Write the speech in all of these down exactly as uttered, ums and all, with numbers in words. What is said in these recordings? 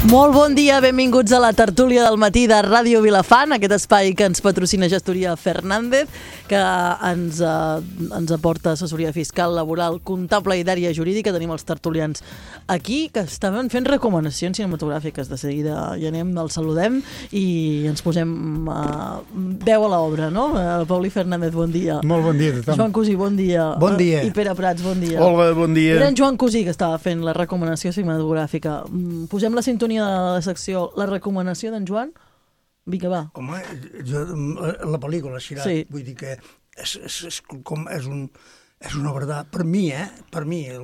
Molt bon dia, benvinguts a la tertúlia del matí de Ràdio Vilafant, aquest espai que ens patrocina Gestoria Fernández, que ens, eh, ens aporta assessoria fiscal, laboral, comptable i d'àrea jurídica. Tenim els tertulians aquí, que estaven fent recomanacions cinematogràfiques. De seguida hi anem, els saludem i ens posem eh, veu a l'obra, no? Eh, Pauli Fernández, bon dia. Molt bon dia a tothom. Joan Cosí, bon dia. Bon dia. I Pere Prats, bon dia. Hola, bon dia. Era en Joan Cosí que estava fent la recomanació cinematogràfica. Posem la sintonia de la secció, la recomanació d'en Joan. Vinga, va. Home, jo, la pel·lícula, Xirat, Sí. vull dir que és, és, és, com, és, un, és una obra d'art. Per mi, eh? Per mi, el,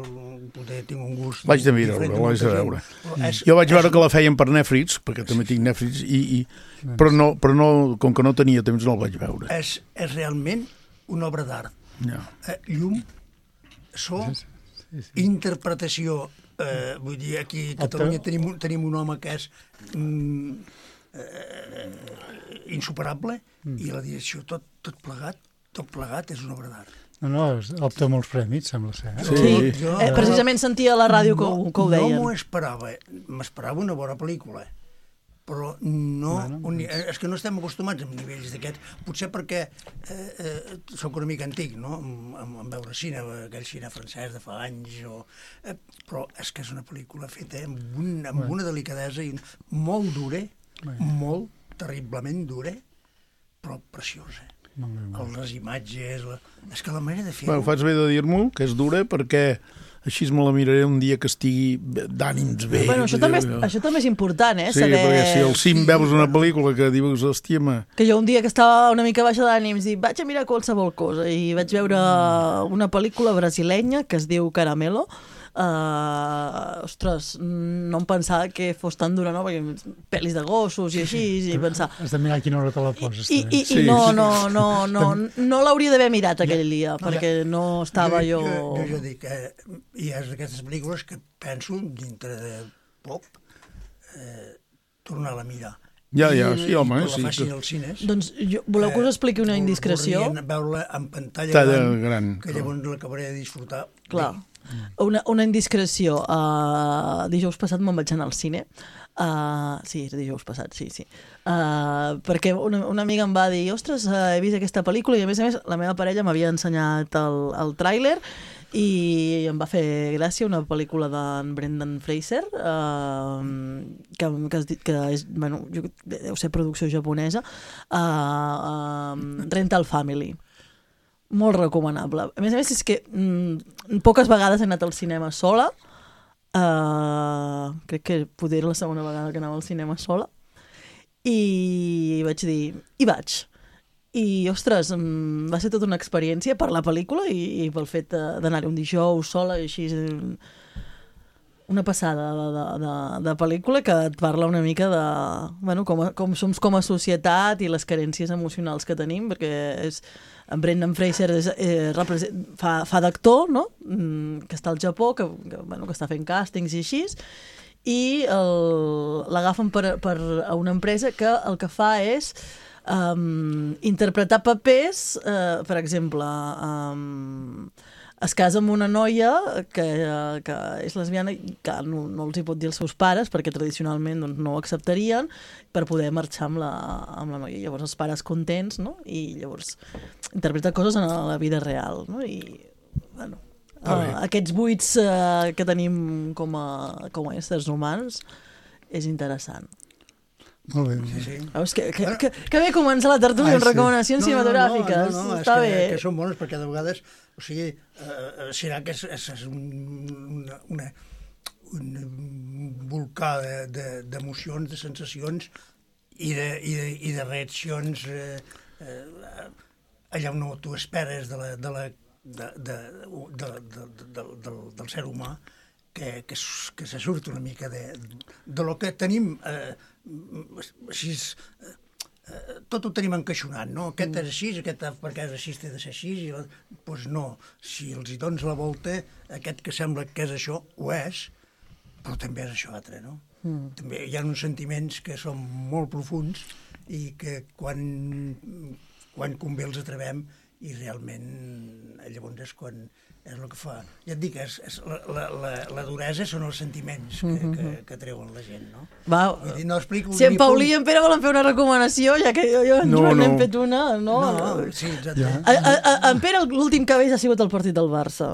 poder tinc un gust L'haig de mirar, diferent l'haig de molta veure. gent. És, Jo vaig veure és, que la feien per Netflix, perquè també tinc Netflix, i, i, però, no, però no, com que no tenia temps no el vaig veure. És, és realment una obra d'art. No. Eh, llum, so, interpretació. Eh, vull dir, aquí a Catalunya tenim, un- tenim un home que és mm, eh, insuperable i la direcció, tot, tot plegat, tot plegat és una obra d'art. No, no, opta molts premis, sembla ser. Eh? Sí. Sí. Jo- Eh, precisament sentia a la ràdio que, ho- que ho deien. No m'ho esperava, m'esperava una bona pel·lícula, però no, Bueno, un, és que no estem acostumats amb nivells d'aquests, potser perquè eh, eh, soc una mica antic, no?, en, en, en veure cine, aquell cine francès de fa anys, o, eh, però és que és una pel·lícula feta amb, un, amb una delicadesa i molt dura, molt terriblement dura, però preciosa. Molt bé, molt bé. Les imatges, la... és que la manera de fer-ho... Bueno, faig bé de dir-m'ho, que és dura, perquè així me la miraré un dia que estigui d'ànims bé. Bueno, això també, és, això també és important, eh? Sí, saber... perquè si al cim veus una pel·lícula que dius, hòstia, ma... Que jo un dia que estava una mica baixa d'ànims dic, vaig a mirar qualsevol cosa, i vaig veure una pel·lícula brasilenya que es diu Caramelo. Uh, ostres, no em pensava que fos tan dura, no? Perquè pel·lis de gossos i així, i pensar... Has de mirar a quina hora te la poses. I, i, Sí, i no, sí. no, no, no, no l'hauria d'haver mirat aquell dia, No, perquè no estava jo... Jo, jo, jo dic, eh, hi ha d'aquestes pel·lícules que penso, dintre de poc, eh, tornar-la a mirar. Ja, ja, I, sí, home, i quan sí, la facin que- als cines... Doncs jo, voleu que us expliqui una vol- indiscreció? voldrien veure-la en pantalla Talla gran, gran, que clar. llavors l'acabaré de disfrutar. Clar. bé. Una, una indiscreció. Uh, dijous passat me'n vaig anar al cine. Uh, sí, era dijous passat, sí, sí. Uh, perquè una, una amiga em va dir, ostres, uh, he vist aquesta pel·lícula, i a més a més la meva parella m'havia ensenyat el, el tràiler i em va fer gràcia, una pel·lícula d'en Brendan Fraser, uh, que, que, es, di- que és, bueno, jo, deu ser producció japonesa, uh, uh, Rental Family. Molt recomanable. A més a més, és que mm, poques vegades he anat al cinema sola. Uh, crec que poder la segona vegada que anava al cinema sola. I vaig dir, hi vaig. I, ostres, mm, va ser tota una experiència per la pel·lícula i, i pel fet de- d'anar-hi un dijous sola i així... eh, una passada de, de, de, de pel·lícula que et parla una mica de bueno, com, a, com som com a societat i les carències emocionals que tenim, perquè és, en Brendan Fraser és, eh, represent, fa, fa d'actor, no? Mm, que està al Japó, que, que, bueno, que està fent càstings i així, i el- l'agafen per, per a una empresa que el que fa és um, interpretar papers, uh, per exemple... Um, es casa amb una noia que, que és lesbiana i que no, no els hi pot dir als seus pares perquè tradicionalment doncs, no ho acceptarien per poder marxar amb la, amb la noia. Llavors els pares contents, no? I llavors interpreta coses en la vida real, no? I, bueno, uh, aquests buits uh, que tenim com a, com a éssers humans és interessant. Molt bé. Sí, sí. Veus que, que, que, que bé comença la tertúlia amb Ai, sí. recomanacions cinematogràfiques. No, no, no, Està és bé. que, que són bones perquè de vegades, o sigui, eh, serà que és, és, és un, una, una, un volcà d'emocions, de, de sensacions i de, i de, i de reaccions eh, eh, allà on no t'ho esperes de la, de la, de, de, de, de, de, de, del ser humà, que, que, que se surt una mica de, de lo que tenim eh, així, eh, tot ho tenim encaixonat, no? Aquest és així, aquest perquè és així, té de ser així, i doncs pues no, si els hi dones la volta, aquest que sembla que és això, ho és, però també és això altre, no? Mm. També hi ha uns sentiments que són molt profuns i que quan, quan convé els atrevem i realment llavors és quan és el que fa. Ja et dic, és, és la, la, la, la duresa són els sentiments que, mm-hmm. que, que treuen la gent, no? Va, dir, no explico si en Paulí i en Pere volen fer una recomanació, ja que jo, jo en no, Joan no. n'hem fet una, no? No, sí, exacte. Ja. A, a, a, en Pere l'últim que ha vist ha sigut el partit del Barça.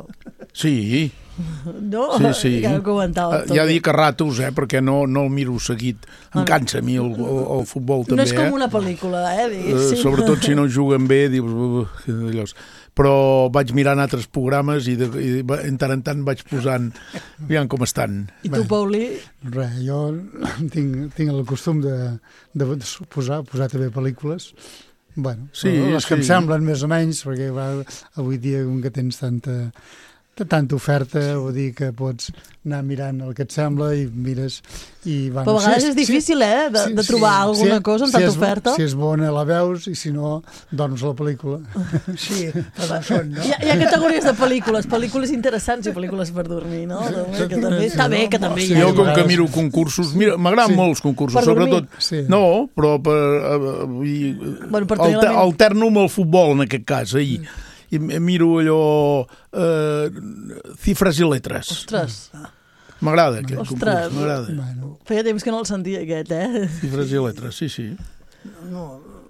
Sí, No? sí, sí. Que ho comentàvem tot. Ja dic a ratos, eh, perquè no, no el miro seguit. Em cansa a mi el, el, el futbol també, No és com eh? una pel·lícula, eh? Uh, Diguéssim. sobretot si no juguen bé, dius... Uh, allò. Però vaig mirant altres programes i, de, i de, en tant en tant vaig posant aviam com estan. I tu, Paulí? Res, jo tinc, tinc el costum de, de posar, posar també pel·lícules. Bueno, Sí, les que sí. em semblen més o menys, perquè va, avui dia com que tens tanta, tanta oferta, vull dir que pots anar mirant el que et sembla i mires... I, bueno, Però a vegades si és difícil, eh, de, sí, de trobar sí. alguna Si- cosa amb si tanta és, oferta. Si és bona la veus i si no, dorms a la pel·lícula. Sí, però són, no? Hi ha, hi ha categories de pel·lícules, pel·lícules interessants i pel·lícules per dormir, no? Que també està bé, que també hi ha. Jo com que vegades- miro concursos, mira, m'agraden Sí. molts concursos, Per dormir. sobretot... Sí. No, però per... Uh, uh, Bueno, per tenir la alter, ment- alterno amb el futbol, en aquest cas, ahir. I miro allò... Uh, cifres i letres. Ostres, M'agrada aquest Ostres. concurs, m'agrada. Bueno, feia temps que no el sentia aquest, eh? Cifres i letres, sí, sí. No,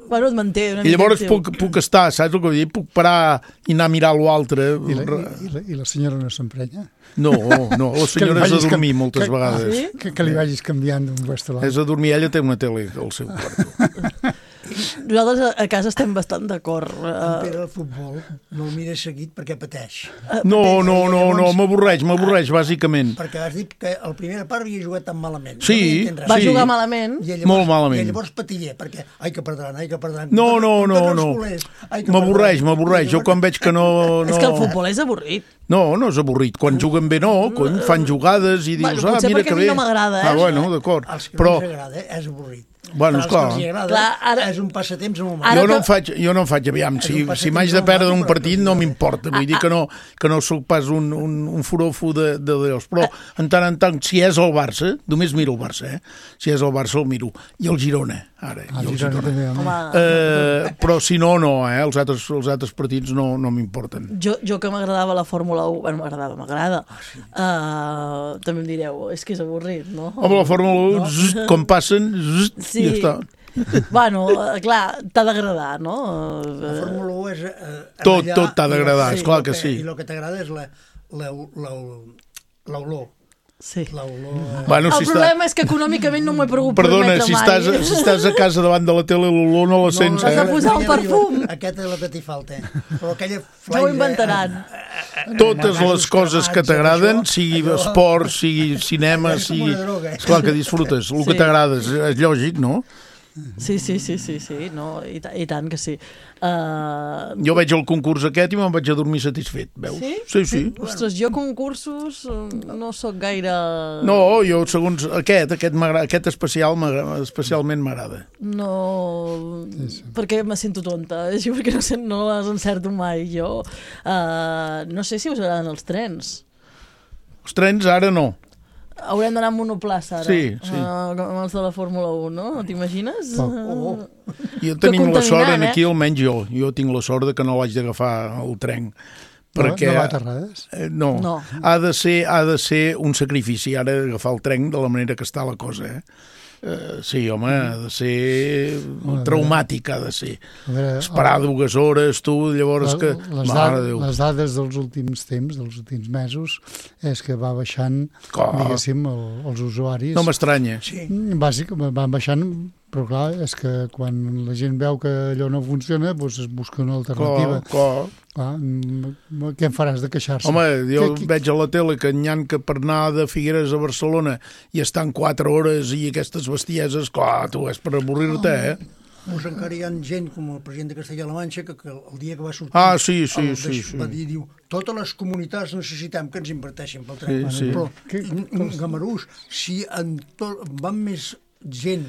Bueno, et manté una I llavors mica puc, puc estar, saps el que vull dir? Puc parar i anar a mirar l'altre. i la, i, la, i la senyora no s'emprenya? No, no, la senyora és a vagis dormir canvi- moltes que- vegades. Sí? Que, que li vagis canviant d'un lloc a l'altre. És a dormir, ella té una tele al seu quarto. Nosaltres a, a casa estem bastant d'acord. en Uh, Pere el futbol no el mira seguit perquè pateix. No, no, no, no, Llavors- m'avorreix, m'avorreix, bàsicament. Perquè has dit que a la primera part havia jugat tan malament. Sí, no m'hi entens res. va sí. jugar malament. I llavors, Molt malament. I llavors patiller, perquè ai que perdran, ai que perdran. No, Tots- no, tots no, els no. culers, ai que M'avorreix, perdran. m'avorreix. Jo quan veig que no... no... És que el futbol és avorrit. No, no és avorrit. Quan juguen bé, no. Quan fan jugades i dius, Bueno, ah, potser mira perquè que a mi bé. no m'agrada, eh? Ah, bueno, d'acord. Els que Però no ens agrada eh, és avorrit. Bueno, Però els esclar. que els hi agrada Clar, ara- és un passatemps amb un Ara jo que- no, em faig, jo no em faig, aviam, si, un passatemps si m'haig de molt perdre maco, un però partit que- no m'importa, vull dir que no, que no sóc pas un, un, un forofo de, de Déus, però en tant en tant, si és el Barça, només miro el Barça, eh? Si és el Barça el miro, i el Girona, ara, Ah, i el Girona Girona. també, home. Home, Eh, però si no, no, eh? Els altres, els altres partits no, no m'importen. jo, jo que m'agradava la Fórmula u, bueno, m'agradava, m'agrada, uh, també em direu, és que és avorrit, no? Home, la Fórmula u, zzzt, com passen, zzzt, Sí. ja està. Bueno, eh, clar, t'ha d'agradar, no? La Eh, Fórmula u és... Eh, Tot- allà, tot t'ha d'agradar, i esclar el que sí. I el que t'agrada és la- la- la- l'olor. Sí. L'olor... eh, Bueno, El si està... problema és que econòmicament no m'ho he pogut Perdona, permetre si mai. estàs, si estàs a casa davant de la tele, l'olor no la sents, has de eh? posar un aquella perfum. arriba- Aquesta és la que t'hi falta. Però aquella Ja ho inventaran. Totes les coses que t'agraden, sigui esport, sigui cinema, És com sigui... una droga. Esclar que disfrutes, el que Sí. t'agrada, és, és lògic, no? Sí, sí, sí, sí, sí, no, i, ta- i tant que sí. Uh, Jo veig el concurs aquest i me'n vaig a dormir satisfet, veus? Sí? Sí, sí. Ostres, jo concursos eh, no sóc gaire... No, jo segons aquest, aquest, m'agrada- aquest especial m'agrada- especialment m'agrada. No, Sí, sí. perquè me sento tonta, així perquè no, sé, no les encerto mai jo. Uh, no sé si us agraden els trens. Els trens ara no. Haurem d'anar amb monoplaça ara, Sí, sí. Uh, amb els de la Fórmula u, no? T'imagines? Oh. Jo tenim la sort, contaminant, en aquí eh? almenys jo, jo tinc la sort de que no l'haig d'agafar el tren. Perquè, No va a Terrades? eh, no, No. Ha, de ser, ha de ser un sacrifici ara agafar el tren de la manera que està la cosa, eh? Uh, sí, home, ha de ser Home, traumàtic, ha de ser. A veure, Esperar dues hores, tu, llavors que... les, Mare da de Déu. les dades dels últims temps, dels últims mesos, és que va baixant, Clar. diguéssim, el, els usuaris. No m'estranya. Sí. Bàsic, van baixant, però clar, és que quan la gent veu que allò no funciona, doncs es busca una alternativa. Clar, clar. Clar, mm, què en faràs de queixar-se? Home, jo Què- què- veig a la tele que n'hi ha que per anar de Figueres a Barcelona i estan quatre hores i aquestes bestieses, clar, tu és per avorrir-te, eh? Pues encara hi ha gent com el president de Castella-La Manxa que, que el dia que va sortir Ah, sí, sí, el sí, deix- sí. va dir, diu, totes les comunitats necessitem que ens inverteixin pel tren. Sí, sí. Però Que- en, en Gamarús, si en tot, van més gent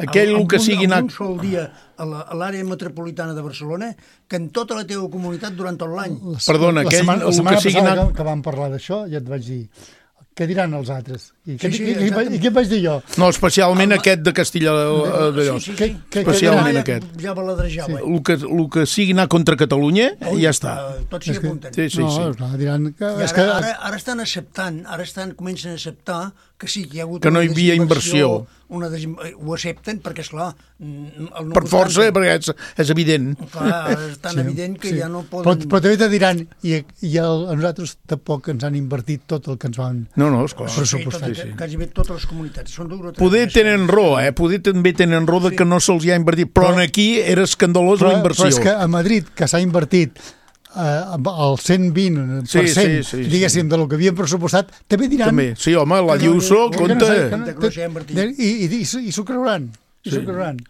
Aquell en que un, sigui en anat- un sol dia a la- a l'àrea metropolitana de Barcelona que en tota la teva comunitat durant tot l'any. La- Perdona, la aquell- setmana, el la setmana que sigui passada anat- que, que vam parlar d'això, ja et vaig dir què diran els altres? I, Sí, què, sí, i, i, exactament. i què vaig dir jo? No, especialment Home. aquest de Castilla d'allò. Sí, sí, Què- sí. què- Especialment Ja- aquest. Ja baladrejava. El que, el que sigui anar contra Catalunya, Ui, ja està. eh, Tots s'hi És que- apunten. Sí, sí, no, sí. Clar, diran que... I és ara, que ara, ara estan acceptant, ara estan, comencen a acceptar que sí, que hi ha hagut Que no una hi havia desinversió, inversió. Una desin... Ho accepten perquè, esclar... mm, el no Per força, votant- perquè és, és evident. Clar, és tan Sí, evident que sí. ja no Però, poden... però també te diran, i, i el, a nosaltres tampoc ens han invertit tot el que ens van... No, no, esclar. Però Sí, tot, pressupostat, que, sí. quasi bé totes les comunitats. Són dues o tres Poder més. tenen raó, eh? Poder també tenen raó de que no se'ls hi ha invertit, però, Però- aquí era escandalós Però, la inversió. però és que a Madrid, que s'ha invertit eh, el cent vint Sí, per cent, sí, sí, sí. diguéssim, de lo que havien pressupostat, també diran... També. Sí, home, la Que no- Diuso, que que no compte. sé, que no- Que no s'hi ha invertit. I, i, i, i, i s'ho creuran. I s'ho creuran.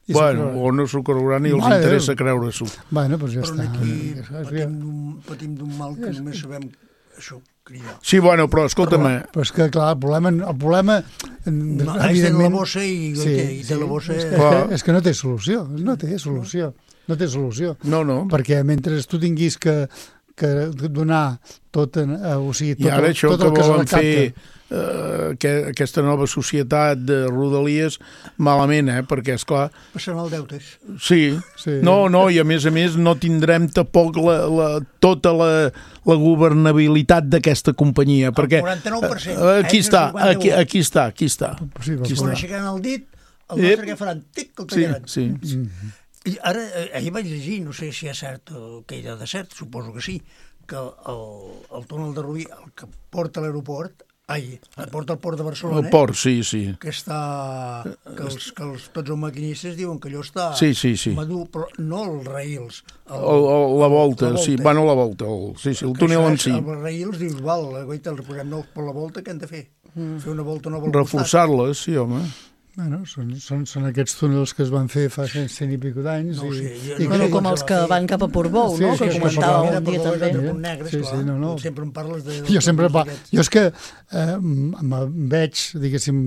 I s'ho Bueno, creuran. o no s'ho creuran i els Mare de interessa Déu. creure-s'ho. Bueno, doncs ja Però està. aquí És- és- patim d'un- patim d'un mal que només sabem això, cridar. Sí, bueno, però escolta'm, eh, Però és que, clar, el problema... El problema No, ara té la bossa i, Sí, i té la bossa... És, Clar. que, és que no té solució. No té solució. No té solució. no, no. Perquè mentre tu tinguis que, que donar tot, en, eh, o sigui, I tot, ara el- això tot que el que es volen recapta. fer eh, que, aquesta nova societat de Rodalies, malament, eh? Perquè, és clar, Passant el deutes. sí, Sí. no, no, i a més a més no tindrem tampoc la, la, tota la, la governabilitat d'aquesta companyia, perquè quaranta-nou per cent. eh, aquí Ells el està, cinquanta-u. aquí, aquí està, aquí està. Sí, Aquí però- Quan està. aixecaran el dit, el Ep. nostre què faran? Tic, el Sí, tallaran. sí. I ara, eh, ahir vaig llegir, no sé si és cert o que hi ha de cert, suposo que sí, que el, el túnel de Rubí, el que porta a l'aeroport, ai, el porta al port de Barcelona, El port, sí, sí. que està... que, els, que els, tots els maquinistes diuen que allò està Sí, sí, sí. madur, però no els raïls. El, El, el, la volta, la sí, volta. bueno, la volta, el, sí, sí, el que túnel això en és- si. Els raïls dius, val, guaita, els posem nous per la volta, què han de fer? Mm. Fer una volta nova al costat. Reforçar-les, sí, home. Bueno, són, són, són aquests túnels que es van fer fa cent, cent i pico d'anys. No ho i, sé, jo i no Bueno, sé com com els se que va fer. van cap a Portbou, Sí, no? sí, Que és que comentàveu Era un per dia favor, també. de punt negre, Sí, esclar. sí, no, no. Sempre em parles de... Jo sempre pa... d'aquests. Jo és que eh, em veig, diguéssim,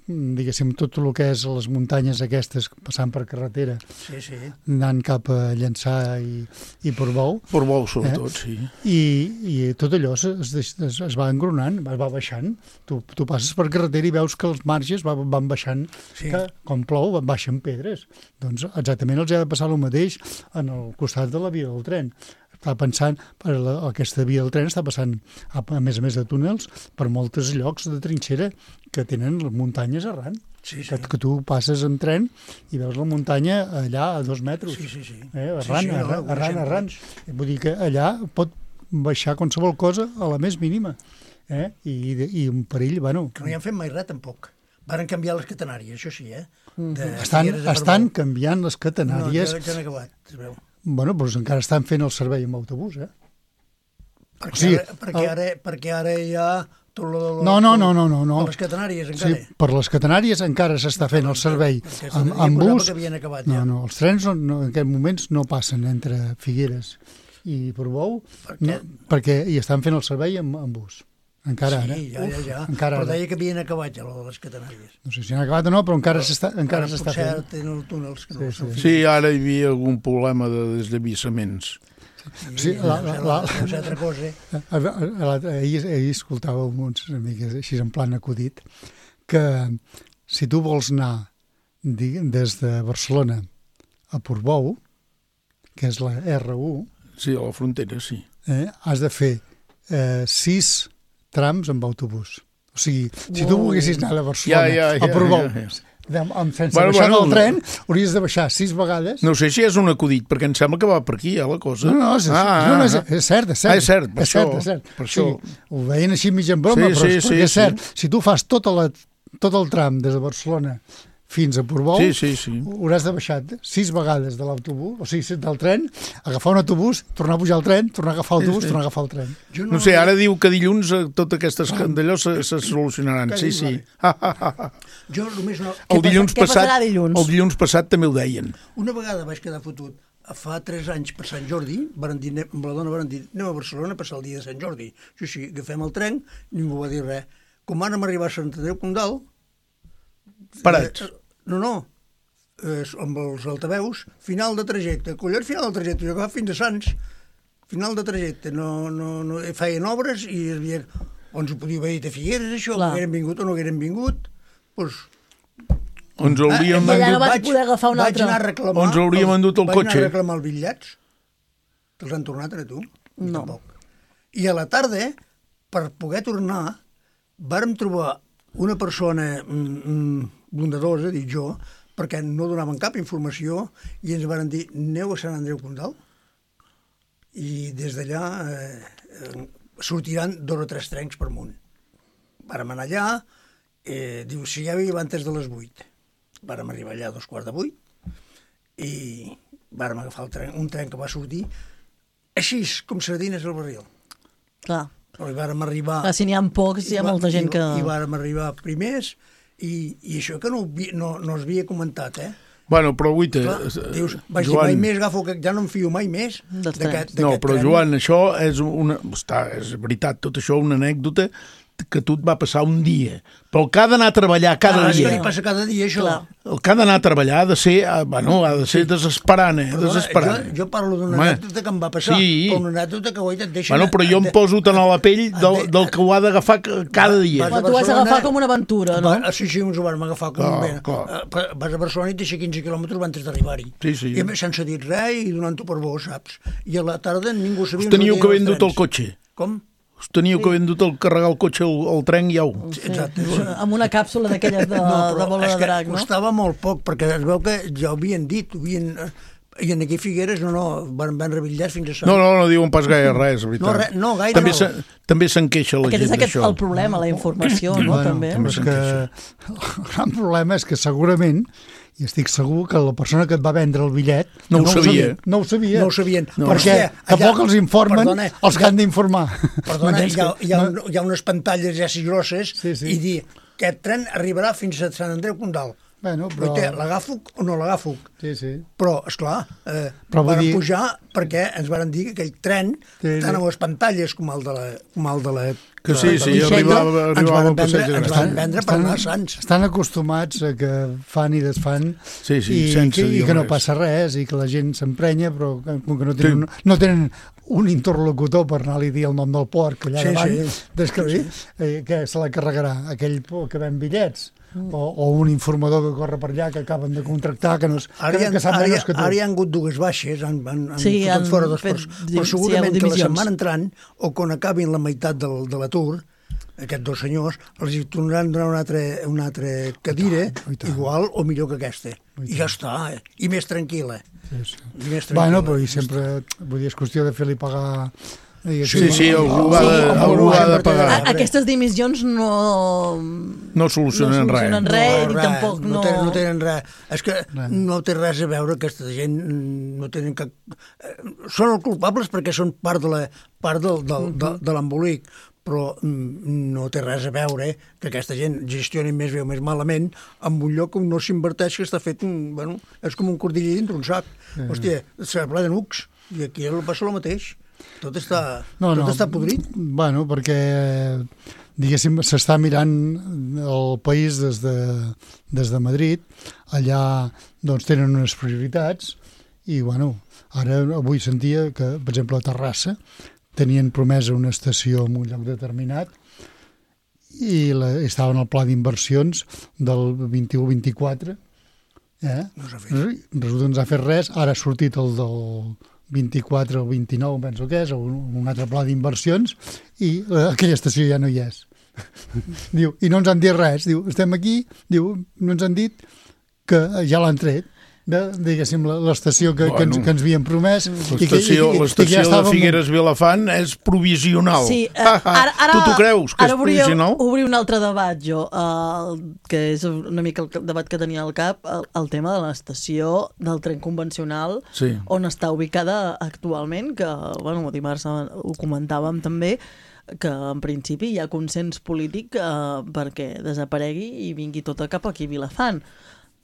diguéssim, tot el que és les muntanyes aquestes, passant per carretera, Sí, sí. anant cap a Llançà i, i Portbou, Portbou, sobretot, sí. i, i tot allò es, es, es, es va engronant, va, va baixant. Tu, tu passes per carretera i veus que els marges va, van baixant, Sí. que com plou van baixant pedres. Doncs exactament els ha de passar el mateix en el costat de la via del tren. Està pensant, per la, aquesta via del tren està passant, a, a més a més de túnels, per molts llocs de trinxera que tenen les muntanyes arran. Sí, sí. Que, que tu passes en tren i veus la muntanya allà a dos metres. Sí, sí, sí. Eh, arran, Sí, sí, no, arran, ho arran, deixem arran. tots. Vull dir que allà pot baixar qualsevol cosa a la més mínima. Eh? I, I un perill, bueno... Que no hi han fet mai res, tampoc. Varen canviar les catenàries, això sí, eh? De Estan, Figueres a estan Portbou. canviant les catenàries. No, ja, ja han acabat, es veu. Bueno, doncs encara estan fent el servei amb autobús, eh? Perquè, O sigui, ara, perquè, el- ara, perquè ara hi ha... Tot lo, lo, No, no, no, no, no, no. A les catenàries, Sí, encara. per les catenàries encara s'està fent el servei Perquè amb, jo amb posava bus. que havien acabat, No, ja. no, els trens no, no, en aquests moments no passen entre Figueres i Portbou, Per no, què? perquè hi estan fent el servei amb, amb bus. Encara ara. Sí, ja, ja, ja. Encara Però ara. deia que havien acabat ja, lo de les catenàries. No sé si han acabat o no, però encara s'està encara s'està potser fent. ara tenen els túnels que no Sí, sí, sí. Sí, ara hi havia algun problema de desllavissaments. Sí, la- la- la- Deu ser altra cosa. A- a- a- a- Ahir, ahir escoltàveu uns amigues així en plan acudit que si tu vols anar di- des de Barcelona a Portbou, que és la erre u, Sí, a la frontera, sí. eh, has de fer eh, sis trams amb autobús. O sigui, si tu Uau. volguessis anar de Barcelona Ja, ja, ja, a Portbou, ja, ja. Amb, amb, sense Bueno, baixar bueno, del tren, hauries de baixar sis vegades. No sé si és un acudit, perquè em sembla que va per aquí, eh, la cosa. No, no, és, ah, no, no, és, ah, és cert, és cert. Ah, és cert, per és cert, això, és cert. per O sigui, això. ho veien així mig en broma, Sí, però, sí, és, sí, perquè és sí. cert. Si tu fas tota la, tot el tram des de Barcelona fins a Portbou, Sí, sí, sí. hauràs de baixar sis vegades de l'autobús, o sigui, del tren, agafar un autobús, tornar a pujar al tren, tornar a agafar l'autobús, tornar a agafar el tren. Jo No sé, ara diu que dilluns eh, totes aquestes d'allò se, se solucionaran. Sí, sí. Jo només no... El dilluns què passat, passarà dilluns? el dilluns passat també ho deien. Una vegada vaig quedar fotut. Fa tres anys, per Sant Jordi, varen dir, anem- amb la dona van dir, anem a Barcelona a passar el dia de Sant Jordi. Jo sí, agafem el tren, ningú va dir res. Com vàrem arribar a Sant Andreu Condal... Parats. Eh, no, no, eh, amb els altaveus, final de trajecte. Collons, final de trajecte, jo agafava fins a Sants. Final de trajecte, no, no, no, feien obres i hi havia... o ens ho podíeu haver dit a Figueres, això, Clar. que hagueren vingut o no hagueren vingut, doncs... Ens hauríem... I allà no endut- vaig poder agafar un vaig altre. Anar a reclamar, Ens hauríem els- endut el vaig cotxe. anar a reclamar els bitllets. Te'ls han tornat a tu? No. Tampoc. I a la tarda, per poder tornar, vàrem trobar una persona mm, mm, bondadosa, dic jo, perquè no donaven cap informació i ens van dir, aneu a Sant Andreu Condal i des d'allà eh, eh, sortiran dos o tres trens per munt. Vàrem anar allà, eh, diu, si ja veiem antes de les vuit. Vàrem arribar allà a dos quarts de vuit i vàrem agafar el tren, un tren que va sortir així, com sardines al barril. Clar. Però hi vàrem arribar... Clar, si n'hi ha pocs, hi ha i va- molta gent i, que... I vàrem arribar primers i, i això que no, ho vi- no, no es havia comentat, eh? Bueno, però guaita... Clar, dius, vaig dir, Joan, mai més agafo, que ja no em fio mai més Dels d'aquest trens. no, però tren. Joan, això és una... Està, és veritat, tot això una anècdota que tu et va passar un dia. Però el que ha d'anar a treballar cada Ah, és que dia... li passa cada dia, això. Clar. El que ha d'anar a treballar ha de ser, eh, bueno, ha de ser desesperant, eh? Perdona, Desesperant. jo, jo parlo d'una Home, anècdota que em va passar, sí. però una anècdota que guaita et deixa... Bueno, però jo em poso tant a la pell del, del que ho ha d'agafar cada dia. Vas a Bueno, tu has Barcelona- d'agafar com una aventura, no? Va, sí, sí, ens ho vam agafar com Clar, un bé. clar. Eh, Vas a Barcelona i et deixa quinze quilòmetres abans d'arribar-hi. Sí, sí. I a més, sense dir res i donant-ho per bo, saps? I a la tarda ningú sabia... Us teníeu on que haver anaven els endut el trens. cotxe. Com? Us teníeu que haver endut el carregar el cotxe al, al tren i au. Sí, Exacte. amb una càpsula d'aquelles de, de bola és de que drac, no? costava molt poc, perquè es veu que ja ho havien dit, ho havien... I en aquí Figueres, no, no, van vendre bitllets fins a Sant. No, no, no diuen pas gaire res, és veritat. No, re- no, gaire també no. se, també se'n queixa la Aquest és gent aquest d'això. el problema, la informació, no? També. també és se'n que el gran problema és que segurament, i estic segur que la persona que et va vendre el bitllet No ho sabia. No ho sabia. No ho sabien. No. Però Perquè hòstia, allà- tampoc els informen perdona, els que han d'informar. Perdona, M'entens hi ha, que- hi, ha un, hi ha unes pantalles ja així grosses Sí, sí. i dir aquest tren arribarà fins a Sant Andreu Condal. Bueno, però... Però... L'agafo o no l'agafo? Sí, sí. Però, esclar, eh, Però vull van dir- pujar perquè ens van dir que aquell tren, Sí, sí. tant a les pantalles com el de la... Com el de la Que sí, de la sí, Vicenta, arribava- ens arribava van al passeig vendre, de ens Gràcia. van vendre per anar a Sants. Estan acostumats a que fan i desfan Sí, sí, i, sense que, i dir que no res. passa res i que la gent s'emprenya, però que, com que no tenen, no tenen un interlocutor per anar-li a dir el nom del porc allà Sí, davant, sí. des que, eh, que se la carregarà aquell por que ven bitllets o, o un informador que corre per allà que acaben de contractar que, no és, Ara, hi que, ha, que sap ara, hi ha, menys que tu. ara hi ha hagut dues baixes, han, han, han Sí, fotut han fora dos fet pers, di- però sí, hi ha segurament hagut que la dimissions. setmana entrant, o quan acabin la meitat del, de l'atur, aquests dos senyors, els hi tornaran a donar una altra, una altra cadira, I tant, i tant. igual o millor que aquesta. I ja està, eh? I més tranquil·la. Sí, sí. I més tranquil·la. Bueno, però i sempre, vull dir, és qüestió de fer-li pagar... Sí, sí, algú ha de, Sí, algú ha de sempre té pagar. de- A- Aquestes dimissions no... No solucionen no res. solucionen res, i tampoc no... no... Tenen, no tenen res. És que Res. no té res a veure, aquesta gent mm, no tenen cap... eh, Són els culpables perquè són part de la part del, del, de, de l'embolic, però mm, no té res a veure que aquesta gent gestioni més bé o més malament en un lloc on no s'inverteix, que està fet, un, bueno, és com un cordill dintre un sac. Mm. Hòstia, s'ha ple de nucs, i aquí passa el mateix. Tot està, No, tot no. està podrit. Bueno, perquè, diguéssim, s'està mirant el país des de, des de Madrid. Allà, doncs, tenen unes prioritats i, bueno, ara avui sentia que, per exemple, a Terrassa tenien promesa una estació en un lloc determinat i la, estava en el pla d'inversions del vint-i-u vint-i-quatre. Eh? No s'ha fet. Resulta que no s'ha fet res. Ara ha sortit el del vint-i-quatre o vint-i-nou, penso que és, o un, un altre pla d'inversions, i eh, aquella estació ja no hi és. Diu, i no ens han dit res. Diu, estem aquí, diu, no ens han dit que ja l'han tret de, diguéssim, la- l'estació que, que, ens, Bueno. que ens havien promès. i que- L'estació i que- i que l'estació ja de estàvem- Figueres Vilafant és provisional. Sí, eh, Ah, ah, ara, ara, tu t'ho creus, que ara és volia provisional? obrir un altre debat, jo, uh, que és una mica el debat que tenia al cap, el, el tema de l'estació del tren convencional, Sí. on està ubicada actualment, que, bueno, dimarts ho comentàvem també, que en principi hi ha consens polític uh, perquè desaparegui i vingui tota cap aquí a Vilafant.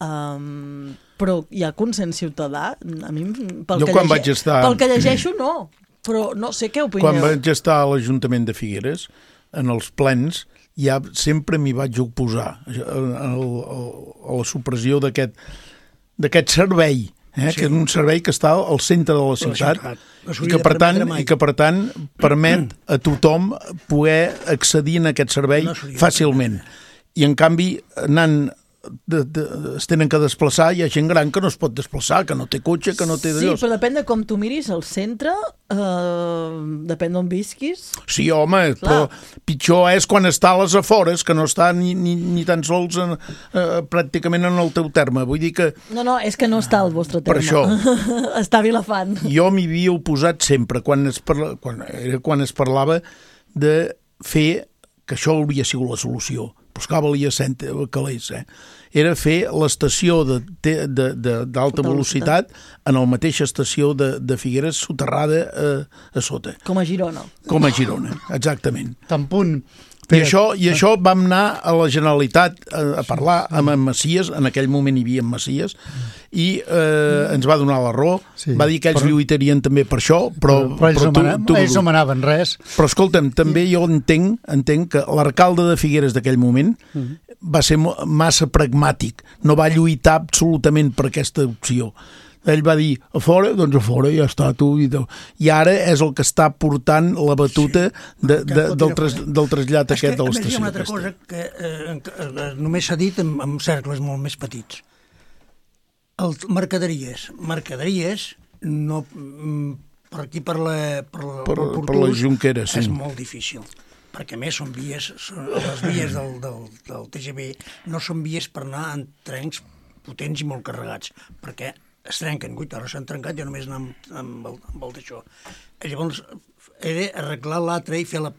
Um, però hi ha consens ciutadà? A mi, pel, Jo que, quan vaig estar- pel que llegeixo, no. Però no sé què opineu. Quan vaig estar a l'Ajuntament de Figueres, en els plens, ja sempre m'hi vaig oposar a, a, a la supressió d'aquest d'aquest servei eh, Sí. que és un servei que està al centre de la ciutat, ciutat. No i, s'hauria que de per tant, permetre mai. i que per tant permet a tothom poder accedir en aquest servei No s'hauria de fàcilment. I en canvi, anant de, de, es tenen que desplaçar, hi ha gent gran que no es pot desplaçar, que no té cotxe, que no té Sí, d'allò. però depèn de com tu miris el centre, eh, depèn d'on visquis. Sí, home, Clar. però pitjor és quan està a les afores, que no està ni, ni, ni tan sols en, eh, pràcticament en el teu terme. Vull dir que No, no, és que no està al vostre Per terme. això. Està a Vilafant. jo m'hi havia oposat sempre, quan es, parla, quan, era quan es parlava de fer, que això hauria sigut la solució, però esclar, valia cent calés, eh? Era fer l'estació d'alta de, de, d'alta velocitat en la mateixa estació de, de Figueres soterrada a, a sota, Com a Girona. com a Girona, exactament. Tan punt... I això, I això vam anar a la Generalitat a, a parlar amb en Macias, en aquell moment hi havia en Macias, i eh, ens va donar la raó, Sí, va dir que ells però- lluitarien també per això, però, Però ells, però no, manaven, ells no manaven res. Però escolta'm, també jo entenc, entenc que l'alcalde de Figueres d'aquell moment va ser mo- massa pragmàtic, no va lluitar absolutament per aquesta opció. Ell va dir, a fora, doncs a fora, ja està, tu. I, tu. I ara és el que està portant la batuta de, de, del, tras, del trasllat És que, aquest de a més, hi l'estació. ha una altra aquesta. cosa que eh, que, eh, només s'ha dit en, en cercles molt més petits. El, mercaderies. Mercaderies, no, mm, per aquí, per la, per, la, Per- pel per la Portús, Jonquera, sí. és molt difícil. Perquè, a més, són vies, són, les vies del, del, del T G V no són vies per anar en trens potents i molt carregats, perquè es trenquen. Guita, ara s'han trencat, jo només anar amb, amb, el, amb el d'això. Llavors, he d'arreglar l'altre i fer la...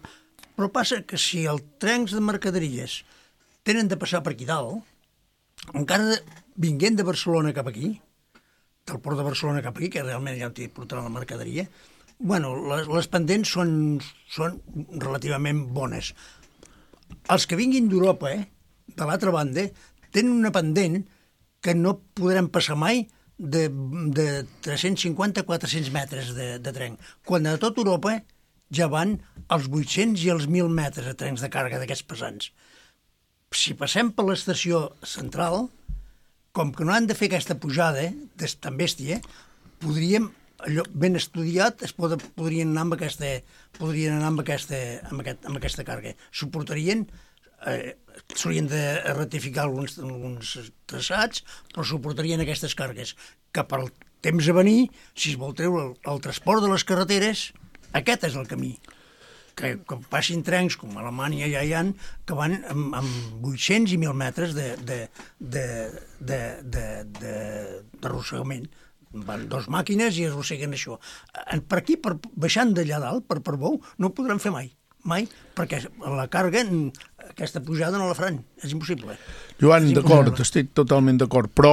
Però passa que si els trens de mercaderies tenen de passar per aquí dalt, encara de, vinguent de Barcelona cap aquí, del port de Barcelona cap aquí, que realment ja t'hi portaran la mercaderia, bueno, les, les pendents són, són relativament bones. Els que vinguin d'Europa, eh, de l'altra banda, tenen una pendent que no podran passar mai de, de tres-cents cinquanta a quatre-cents metres de, de tren, quan a tot Europa ja van als vuit-cents i als mil metres de trens de càrrega d'aquests pesants. Si passem per l'estació central, com que no han de fer aquesta pujada de tan bèstia, podríem, allò ben estudiat, es pod, podrien anar amb aquesta, podrien anar amb aquesta, amb aquest, amb aquesta càrrega. Suportarien, eh, s'haurien de ratificar alguns, alguns traçats, però suportarien aquestes càrregues, que per al temps a venir, si es vol treure el, el transport de les carreteres, aquest és el camí. Que, que passin trens, com a Alemanya ja hi ha, que van amb, amb vuit-cents i mil metres de, de, de, de, de, de, d'arrossegament. Van dos màquines i arrosseguen això. Per aquí, per, baixant d'allà dalt, per, per Bou, no ho podran fer mai. Mai, perquè la càrrega, aquesta pujada no la faran. És impossible. Joan, d'acord, estic totalment d'acord, però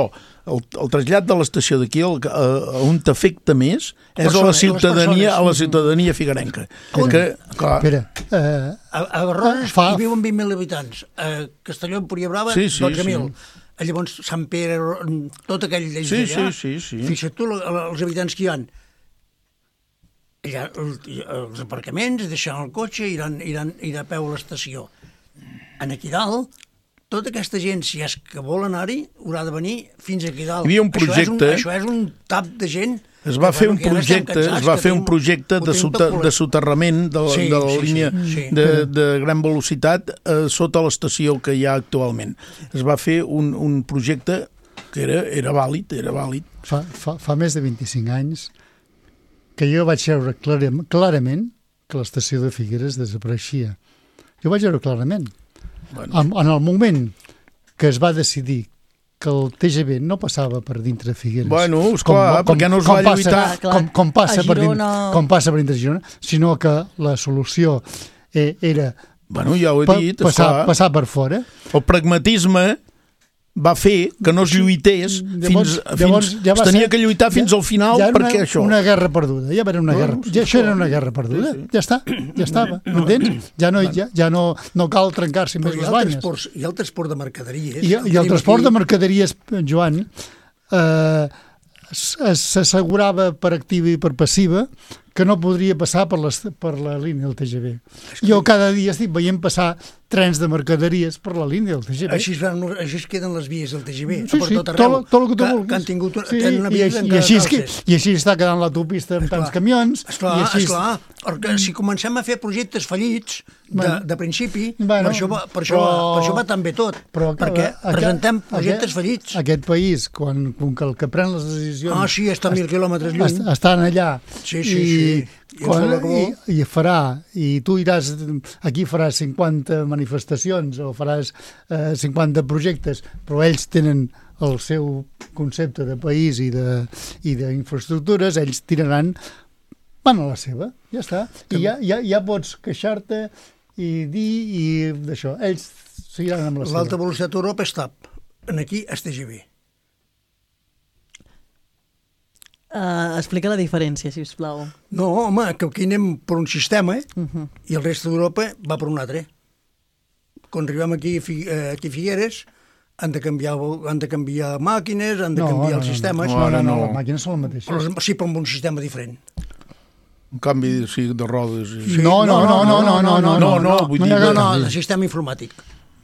el, el trasllat de l'estació d'aquí, el, a, a on t'afecta més, és a la Persones, ciutadania, les a la ciutadania figuerenca. On? Que, clar, Espera, eh, A, a Roses Fa- hi viuen vint mil habitants. A Castelló, Empúria Brava, Sí, sí, dotze mil. sí. Llavors, Sant Pere, tot aquell d'ells Sí, allà, sí, sí, sí. fixa't tu la- la- els habitants que hi ha. Allà, el, els aparcaments, deixant el cotxe, iran, iran, iran a peu a l'estació. En aquí dalt, tota aquesta gent, si és que vol anar-hi, haurà de venir fins aquí dalt. Hi havia un projecte- Això és un, això és un tap de gent. es va que, fer bueno, un que ara estem projecte, cansats, es va que fer un tenim- projecte ho de, tenim sota, tot de volat. soterrament de, la- Sí, de la sí, sí, línia sí. de, de gran velocitat eh, sota l'estació que hi ha actualment. Es va fer un, un projecte que era, era vàlid, era vàlid. fa, fa, fa més de vint-i-cinc anys que jo vaig veure clarament, clarament que l'estació de Figueres desapareixia. Jo vaig veure clarament. Bueno, En, en el moment que es va decidir que el T G V no passava per dintre de Figueres. Bueno, esclar, perquè no es va passa, lluitar. Clar, Com, com, passa a per dintre, Girona- com passa per dintre de Girona, sinó que la solució eh, era bueno, ja ho he pa, dit, passar, esclar. passar per fora. El pragmatisme va fer que no es lluités Llavors- fins... llavors fins ja va es tenia ser- que lluitar fins al final ja era perquè una, això... una guerra perduda, ja era una Bueno, guerra, sí, ja, això era clar. una guerra perduda, Sí, sí. ja està, ja estava, m'entens? Ja no, ja, ja no, no cal trencar-se Però més hi ha les el banyes. transport, hi ha el transport de mercaderies. I, i el transport de mercaderies, Joan, eh, s- s'assegurava per activa i per passiva que no podria passar per, les, per la línia del T G V. Jo cada dia estic veient passar trens de mercaderies per la línia del T G V. Així, es van, així es queden les vies del T G V, sí, per sí, tot arreu, tot, tot el que tu que, vulguis. que han tingut sí, tenen una i, via així, en i, cada així, és que, calces. I així està quedant l'autopista amb Esclar, tants camions. Esclar, i així... esclar, perquè si comencem a fer projectes fallits de, Bueno, de principi, bueno, per, això va, per, això, però- va, per això va tan bé tot, Però, perquè aquest- presentem projectes aquest, fallits. Aquest país, quan, quan que el que pren les decisions... Ah, sí, està a mil quilòmetres lluny. est- Estan allà. Sí, sí, i, sí. I quan, ens fa i, I farà, i tu iràs, aquí faràs cinquanta manifestacions o faràs eh, cinquanta projectes, però ells tenen el seu concepte de país i de i d'infraestructures, ells tiraran van a la seva, ja està. I ja, ja, ja pots queixar-te i dir i d'això. Ells seguiran amb la seva. L'alta velocitat a Europa està en aquí, es T G V. Uh, explica la diferència, si us plau. No, home, que aquí anem per un sistema Uh -huh. i el reste d'Europa va per un altre. Quan arribem aquí, aquí a Figueres, han de canviar, han de canviar màquines, han de canviar els sistemes. No, no, no, no. les màquines són les mateixes. Però sí, però amb un sistema diferent. Un canvi sí, de rodes. I... Sí, No, no, no, no, no, no, no, no, no, vull dir- no, no, no. el sistema informàtic.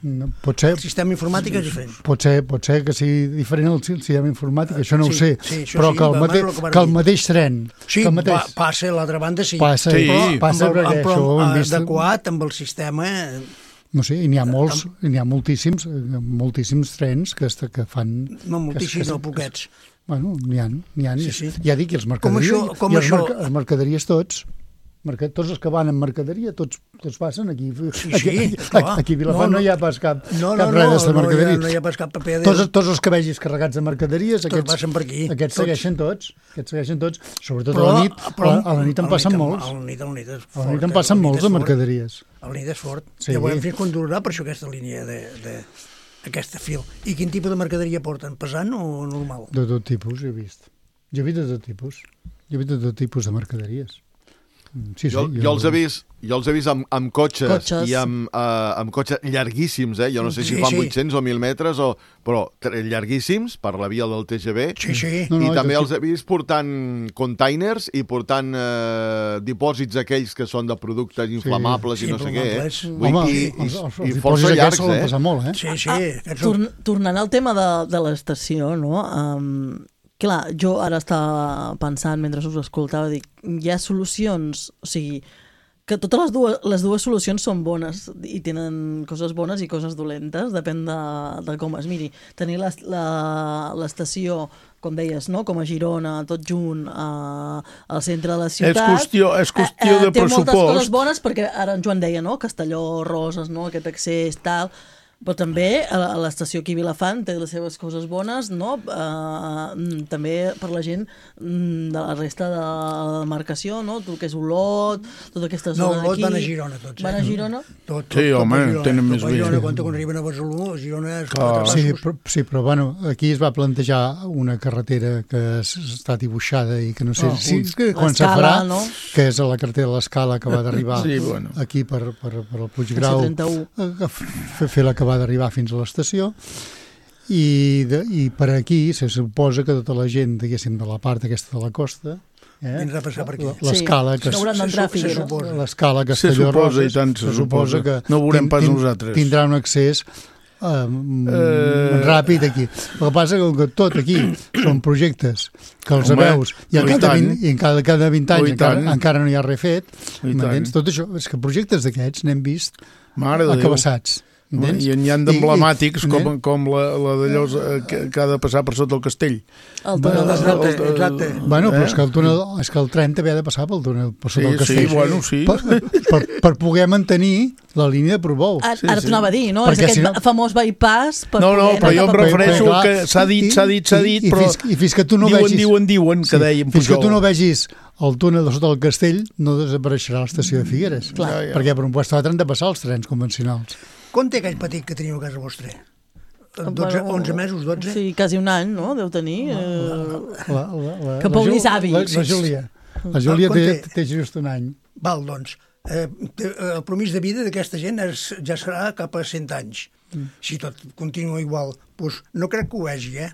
No, pot ser, El sistema informàtic és diferent. pot ser, pot ser que sigui diferent el sistema informàtic, això no Sí, ho sé, sí, això però sí, que el, però mate, abans el que van que el dir. mateix tren, Sí, que el mateix, pa, passa a l'altra banda, sí. passa, Sí. Però passa amb el, perquè amb, això ho hem però vist. adequat amb el sistema... No sé, i n'hi ha molts, i n'hi ha moltíssims, eh, moltíssims trens que, est- que fan... No, moltíssims, que- no, poquets. Bueno, n'hi ha, n'hi ha. Sí, sí. Ja dic, i els mercaderies, això- com i els, això- merca, els mercaderies tots, merca, tots els que van en mercaderia, tots, tots passen aquí. Sí, aquí, sí, aquí, clar. aquí a Vilafant no, No, no. no hi ha pas cap, No, cap no, res no, de no, mercaderia. hi ha, no hi ha pas cap paper. Tots, tots els que vegis carregats de mercaderies, Tots aquests, passen per aquí, aquests tots. segueixen tots, aquests segueixen tots, sobretot a la nit, a, a la nit en passen molts. A la nit, a la nit és A la fort, nit en eh? passen A la nit molts és de fort. mercaderies. A la nit és fort. Sí. Ja veurem fins quan durarà per això aquesta línia de, de aquesta fil. I quin tipus de mercaderia porten? Pesant o normal? De tot tipus, he vist. Jo he vist de tot tipus. Jo he vist de tot tipus de mercaderies. Sí, sí, jo, jo, els he vist, jo els he vist amb, amb cotxes, Cotxes. i amb, uh, amb cotxes llarguíssims, eh? Jo no sé si Sí, fan sí. vuit-cents o mil metres, o, però tre- llarguíssims per la via del T G V. Sí, sí. No, no, I també tot els he vist portant containers i portant eh, dipòsits aquells que són de productes inflamables Sí, i no sé què. Eh? inflamables. Vull Home, dir, i, els, els, i, els i dipòsits força aquests llargs, solen eh? passar molt, eh? Sí, sí. Ah, aquests són- torn, tornant al tema de, de l'estació, no? Um, clar, jo ara estava pensant, mentre us escoltava, dic, hi ha solucions, o sigui, que totes les dues, les dues solucions són bones i tenen coses bones i coses dolentes, depèn de, de com es miri. Tenir les- la- l'estació, com deies, no? Com a Girona, tot junt, a, al centre de la ciutat. És qüestió, és qüestió eh, eh, de té moltes pressupost. coses bones, perquè ara en Joan deia, no? Castelló, Roses, no? Aquest accés, tal... Però també a a l'estació aquí a Vilafant té les seves coses bones, no? Uh, també per la gent mm, de la resta de la demarcació, no? Tot el que és Olot, tota aquesta No, zona Olot d'aquí. van a Girona tots, eh? Van a Girona? Tot, tot, Sí, tot home, a Girona, tenen tot més a bé. Girona, quan, quan arriben a Barcelona, a Girona és Clar. quatre Sí, passos. però, sí, però bueno, aquí es va plantejar una carretera que s- està dibuixada i que no sé Oh, si, ui. que quan se L'Escala, farà, no? que és a la carretera de l'Escala que va d'arribar Sí, bueno. aquí per, per, per el Puiggrau, C trenta-u. a- a fer, fer la que va d'arribar fins a l'estació. I, de, I per aquí se suposa que tota la gent, diguéssim, de la part aquesta de la costa, eh, Vindrà a passar per aquí. l'escala Sí, que no hauran d'entrar a se- se Figueres. suposa. l'escala Se Castelló suposa, Roses, i tant se suposa. No ho veurem pas nosaltres. tindrà un accés eh, Eh, ràpid aquí. El que passa és que tot aquí són projectes que els Home, veus i, oh, i cada tant. vint, i en cada, cada vint Oh, anys i encara, tant. encara no hi ha res fet. I M'entens? tant. Tot això, és que projectes d'aquests n'hem vist Mare de Déu. acabassats. Entens? I n'hi ha I- d'emblemàtics i- com, com la, la d'allò eh, que, que ha de passar per sota el castell. El Bueno, túnel de Exacte, Roca. exacte. Bueno, però Eh? és que, el túnel, és que el tren també ha de passar pel túnel, per Sí, sota el sí, castell. bueno, sí. Per, per, per poder mantenir la línia de Portbou. Ara, Sí, ara sí. t'ho anava a dir, no? Perquè És aquest si no- famós bypass per No, no, poder però anar jo em cap a refereixo Però, clar, que s'ha dit, i- s'ha dit, s'ha i- dit, i però fins, i fins que tu no diuen, vegis, diuen, diuen, que dèiem fins que tu Pujol. no vegis el túnel de sota el castell no desapareixerà l'estació de Figueres. Clar. Ja, ja. Perquè per un lloc o altre han de passar els trens convencionals. Quan té aquell petit que teniu a casa vostra? dotze, Bueno, onze mesos, dotze? Sí, quasi un any, no? Deu tenir. Eh... La, la, la, Que la Paulí Ju- savi. La, la Júlia. La Júlia Ah, té, quan té? té just un any. Val, doncs, eh, té- el promís de vida d'aquesta gent és, ja serà cap a cent anys. Si tot continua igual, doncs no crec que ho vegi, eh?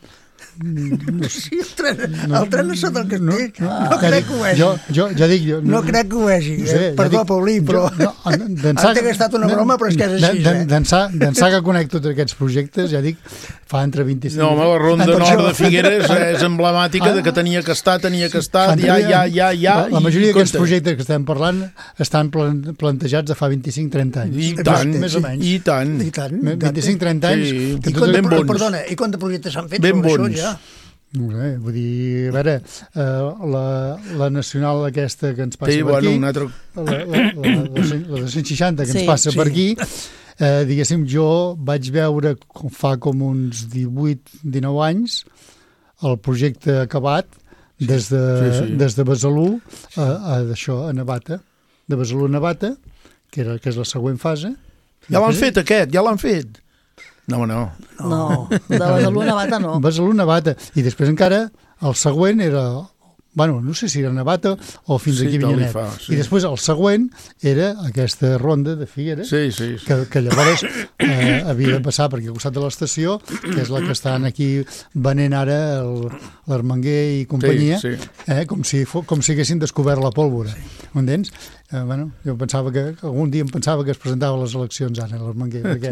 No, Sí, el tren, el tren a sota del no, castell. no, No, no, crec que ho vegi. jo, jo, ja dic, jo, No crec que ho vegi. no sé, eh? ja Perdó, dic, Paulí, però... jo- no, d'ençà- Entenc que ha estat una broma, però és que és així, d'en- eh? D'ençà d'ençà que conec tots aquests projectes, ja dic, fa entre vint-i-cinc... No, home, la Ronda Per Nord això- de Figueres és emblemàtica de que tenia que estar, tenia que estar, ja, ja, ja, ja... La, la majoria i d'aquests compte. projectes que estem parlant estan plan, plantejats de fa vint-i-cinc trenta anys. I tant, més o menys. i tant. I tant. vint-i-cinc trenta anys. Sí. que I tot- quant de, ben bons. perdona, i quant de projectes s'han fet Ben sobre bons. això ja? No sé, vull dir, a veure, eh, la, la nacional aquesta que ens passa Sí, per bueno, aquí, un altre... la, la, la, la, cent- la de cent seixanta que Sí. ens passa Sí. per aquí, eh, diguéssim, jo vaig veure com fa com uns divuit dinou anys el projecte acabat des de, Sí, sí. des de Besalú a, a, això, a Navata, de Besalú a Navata, que, era, que és la següent fase. Ja l'han fet, aquest, ja l'han fet. No, no. No, de Besalú a Navata no. Besalú a Navata. I després encara el següent era... Bueno, no sé si era Navata o fins Sí, aquí tal li Vinyanet. fa, sí. I després el següent era aquesta ronda de Figueres, Sí, sí. sí. que, que llavors eh, havia de passar per aquí al costat de l'estació, que és la que estan aquí venent ara el- l'Armenguer i companyia, Sí, sí. Eh, com, si fo, com si haguessin descobert la pólvora. M'entens? Eh, bueno, jo pensava que algun dia em pensava que es presentava a les eleccions ara l'Armenguer, perquè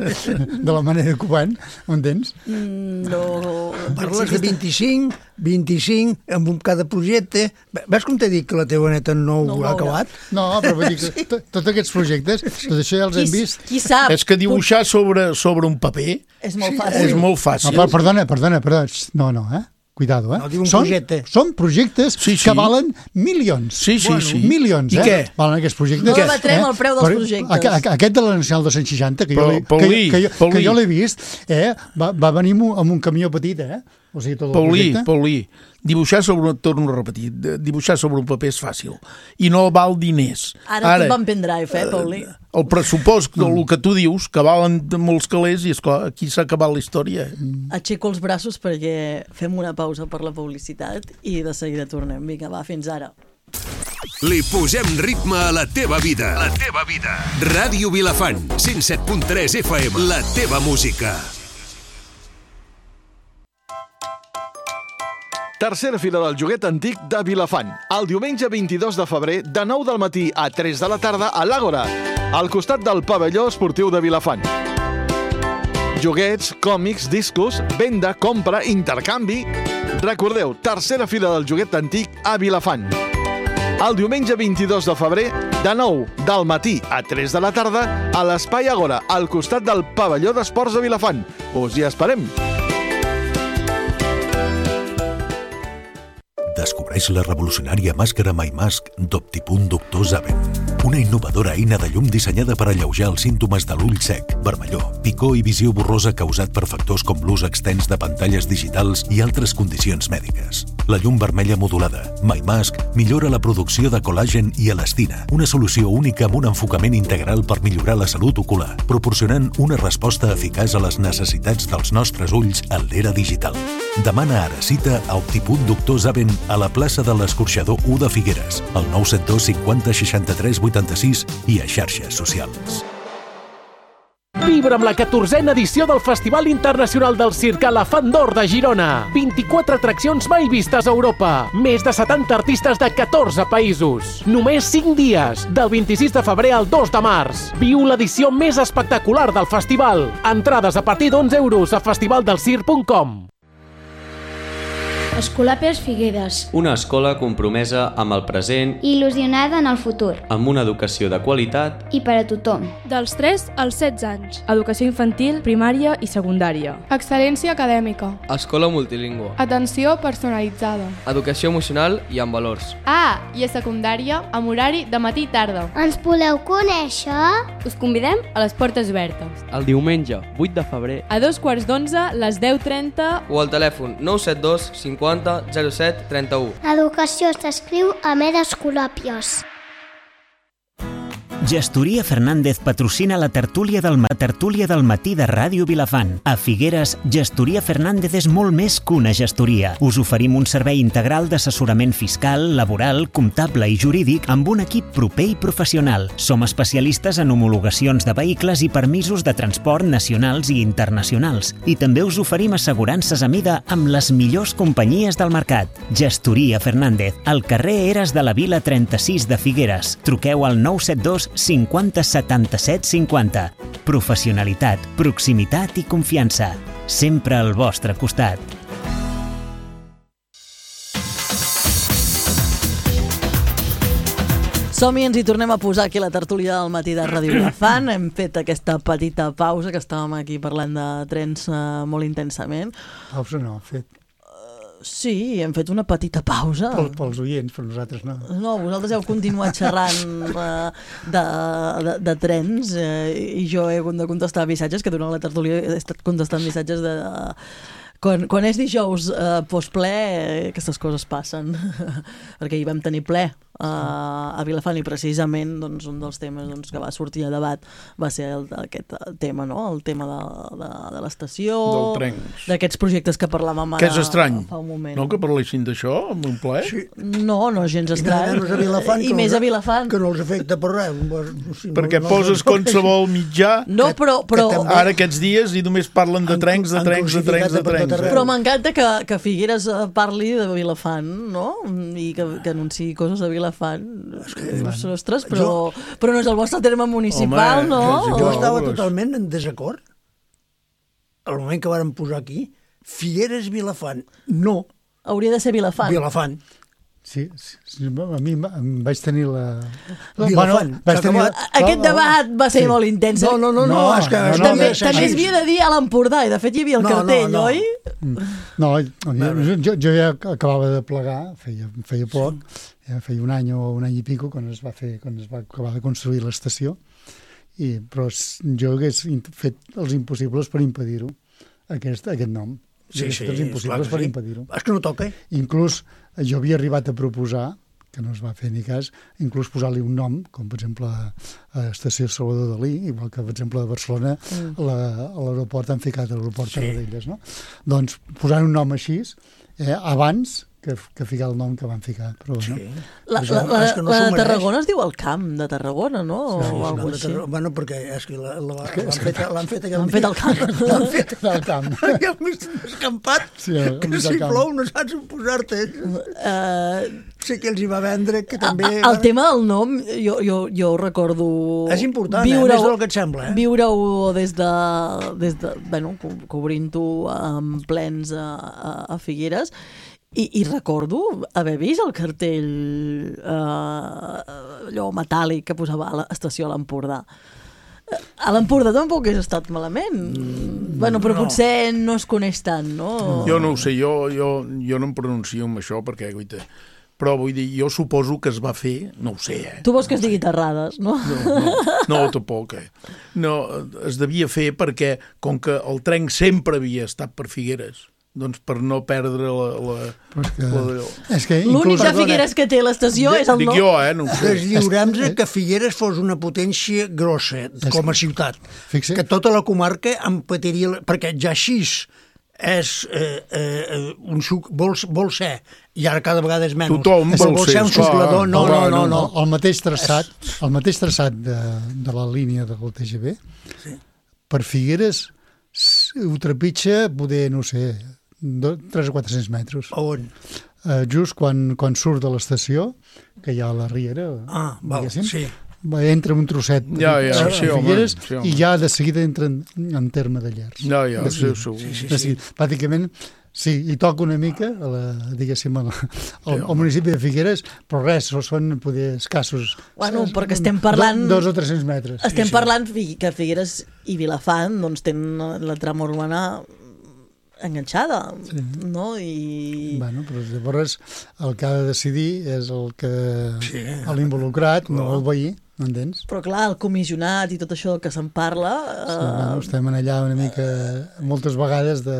de la manera que ho van, m'entens? Mm, No... Parles de vint-i-cinc, vint-i-cinc, amb un cada projecte. Ves com t'he dit que la teva neta no ho No ho ha veurà. acabat? No, però vull dir que to- tots aquests projectes, tot això ja els Qui, hem vist. qui sap? És que dibuixar sobre, sobre un paper És molt Sí, fàcil. és molt No, fàcil. per, perdona, perdona, perdona. Xxt, No, no, eh? Cuidado, eh? No, diu un són, projecte. són projectes Sí, sí. que valen milions. Sí, sí, bueno, sí. Milions, I eh? què? Valen aquests projectes. No debatrem el preu dels Per- projectes. aqu- aqu- Aquest de la Nacional de cent seixanta, que jo Pa- l'he- que, Paulí, que, jo- Paulí. que jo l'he vist, eh? va, va venir amb un- amb un camió petit, eh? O sigui, tot el Paulí, projecte. Paulí, dibuixar sobre, torno a repetir, de- dibuixar sobre un paper és fàcil i no val diners. Ara, Ara tot va en pendrive, eh, Paulí? El pressupost del que tu dius, que valen molts calés, i esclar, aquí s'ha acabat la història. Aixeco els braços perquè fem una pausa per la publicitat i de seguida tornem. Vinga, va, fins ara. Li posem ritme a la teva vida. La teva vida. Ràdio Vilafant, cent set punt tres F M. La teva música. Tercera fira del joguet antic de Vilafant. El diumenge vint-i-dos de febrer, de nou del matí a tres de la tarda, a l'Àgora, al costat del pavelló esportiu de Vilafant. Joguets, còmics, discos, venda, compra, intercanvi... Recordeu, tercera fira del joguet antic a Vilafant. El diumenge vint-i-dos de febrer, de nou del matí a tres de la tarda, a l'Espai Àgora, al costat del pavelló d'esports de Vilafant. Us hi esperem. Descobreix la revolucionària màscara MyMask d'Optipunt Doctor Zaven. Una innovadora eina de llum dissenyada per alleujar els símptomes de l'ull sec, vermellor, picor i visió borrosa causat per factors com l'ús extens de pantalles digitals i altres condicions mèdiques. La llum vermella modulada, MyMask, millora la producció de col·làgen i elastina, una solució única amb un enfocament integral per millorar la salut ocular, proporcionant una resposta eficaç a les necessitats dels nostres ulls en l'era digital. Demana ara cita a Optipunt Doctor Zaven a la plaça de l'Escorxador u de Figueres, al nou set dos cinquanta seixanta-tres vuitanta-sis i a xarxes socials. Vibra amb la catorzena edició del Festival Internacional del Circ Elefant d'Or de Girona. vint-i-quatre atraccions mai vistes a Europa. Més de setanta artistes de catorze països. Només cinc dies, del vint-i-sis de febrer al dos de març. Viu l'edició més espectacular del festival. Entrades a partir d'onze euros a festivaldelcirc punt com. Escolàpies Figueres. Una escola compromesa amb el present I il·lusionada en el futur. amb una educació de qualitat I per a tothom. Dels tres als setze anys. Educació infantil, primària i secundària. Excel·lència acadèmica. Escola multilingüe. Atenció personalitzada. Educació emocional i amb valors. Ah, i a secundària, amb horari de matí i tarda. Ens voleu conèixer? Us convidem a les portes obertes. El diumenge, vuit de febrer, A dos quarts d'onze, les deu trenta... o al telèfon nou set dos cinquanta zero set trenta-u. L'educació s'escriu amb eres colòpios. Gestoria Fernández patrocina la tertúlia del, ma- tertúlia del matí de Ràdio Vilafant. A Figueres, Gestoria Fernández és molt més que una gestoria. Us oferim un servei integral d'assessorament fiscal, laboral, comptable i jurídic amb un equip proper i professional. Som especialistes en homologacions de vehicles i permisos de transport nacionals i internacionals. I també us oferim assegurances a mida amb les millors companyies del mercat. Gestoria Fernández, al carrer Eres de la Vila trenta-sis de Figueres. Truqueu al nou set dos cinquanta setanta-set cinquanta. Professionalitat, proximitat i confiança. Sempre al vostre costat. Som-hi, ens hi tornem a posar aquí a la tertúlia del matí de Ràdio Vilafant. Hem fet aquesta petita pausa, que estàvem aquí parlant de trens uh, molt intensament. Pausa no, fet. Sí, hem fet una petita pausa. Pel, pels oients, però nosaltres no. No, vosaltres heu continuat xerrant uh, de, de, de trens eh, i jo he hagut de contestar missatges, que durant la tertúlia he estat contestant missatges de... Uh, quan, quan és dijous uh, postple, eh, aquestes coses passen, perquè hi vam tenir ple uh, a Vilafant i precisament doncs, un dels temes doncs, que va sortir a debat va ser el, aquest tema, no? El tema de, de, de l'estació, d'aquests projectes que parlàvem ara que és estrany, fa un moment. No, que parlessin d'això en un ple? Sí. No, no és gens estrany. I, Vilafant, I més a Vilafant. Que no els afecta per res. Sí, perquè no, no poses qualsevol mitjà no, però, però, que ara aquests dies i només parlen de trencs, de trencs, de trencs, de trencs. Però m'encanta que, que Figueres parli de Vilafant, no? I que, que anunciï coses de Vilafant. És que, ostres, però, jo, però no és el vostre terme municipal, home, no? Jo, jo estava totalment en desacord. Al moment que vàrem posar aquí, Figueres, Vilafant, no. Hauria de ser Vilafant. Vilafant. Sí, sí, a mi em vaig tenir la... Bueno, vaig tenir la... Aquest debat va ser sí. molt intens. No, no, no, no, no és que... No, també no, també es havia de dir a l'Empordà, i de fet hi havia el no, cartell, no, no. oi? No, jo, jo, jo ja acabava de plegar, feia, feia poc, ja feia un any o un any i pico, quan es va, fer, quan es va acabar de construir l'estació, i, però jo hagués fet els impossibles per impedir-ho, aquest, aquest nom. Sí, sí, els impossibles per sí. impedir-ho. És que no toca. Inclús jo havia arribat a proposar, que no es va fer ni cas, inclús posar-li un nom, com per exemple a l'estació Salvador Dalí, igual que per exemple a Barcelona, mm. la, a l'aeroport han ficat l'aeroport sí. Tarradellas, no? Doncs posant un nom així, eh, abans que, que ficar el nom que van ficar. Però, sí. no? La, la, la, la, no la de Tarragona es diu el Camp de Tarragona, no? Sí, o alguna cosa així. Bueno, perquè és que l'han fet, fet aquell... L'han fet al camp. L'han fet al camp. Aquell mig escampat, sí, que si plou no saps on posar-te. Uh, sé que els hi va vendre, que també... El van... tema del nom, jo, jo, jo recordo... És important, eh? Més del que et sembla. Eh? Viure-ho des de... Des de bueno, cobrint-ho amb plens a, a, a Figueres. I, I recordo haver vist el cartell eh, allò metàl·lic que posava a l'estació a l'Empordà. A l'Empordà tampoc hagués estat malament. Mm, bueno, però no. Potser no es coneix tant, no? Jo no ho sé, jo, jo, jo no em pronuncio amb això perquè, guaita, però vull dir, jo suposo que es va fer, no ho sé, eh? Tu vols que es digui Terrades, no? No, no, no tampoc, eh? No, es devia fer perquè, com que el tren sempre havia estat per Figueres, doncs per no perdre la... la, que, la... És que l'únic de Figueres que té l'estació és el nom. Dic jo, eh? No sé. Deslliurem-nos que Figueres fos una potència grossa com a ciutat. Fixa. Que tota la comarca en patiria... Perquè ja així és eh, eh, un suc, vol, vol ser, i ara cada vegada és menys. Tothom vol, vol ser, ser un suclador. No, no, no, no. El mateix traçat, el mateix traçat de, de la línia del T G V, sí. Per Figueres ho trepitja, poder, no sé, tres o quatre-cents metres. A on? Uh, just quan, quan surt de l'estació, que hi ha la Riera, ah, val, sí. entra un trosset ja, ja, a, sí, a Figueres home, sí, home. I ja de seguida entra en, en terme de Llers. Ja, ja, de seguida, sí, sí, sí, sí, sí. Pràcticament, sí, hi toca una mica, a la, diguéssim, al, al, al municipi de Figueres, però res, són poder escassos. Bueno, perquè estem parlant... Do, dos o tres-cents metres. Estem sí, parlant sí. que Figueres i Vilafant doncs, tenen la trama urbana enganxada, sí. No? I... Bueno, però llavors el que ha de decidir és el que sí. L'involucrat, no el veí, m'entens? Però clar, el comissionat i tot això que se'n parla... Sí, uh... bueno, estem allà una mica, moltes vegades de,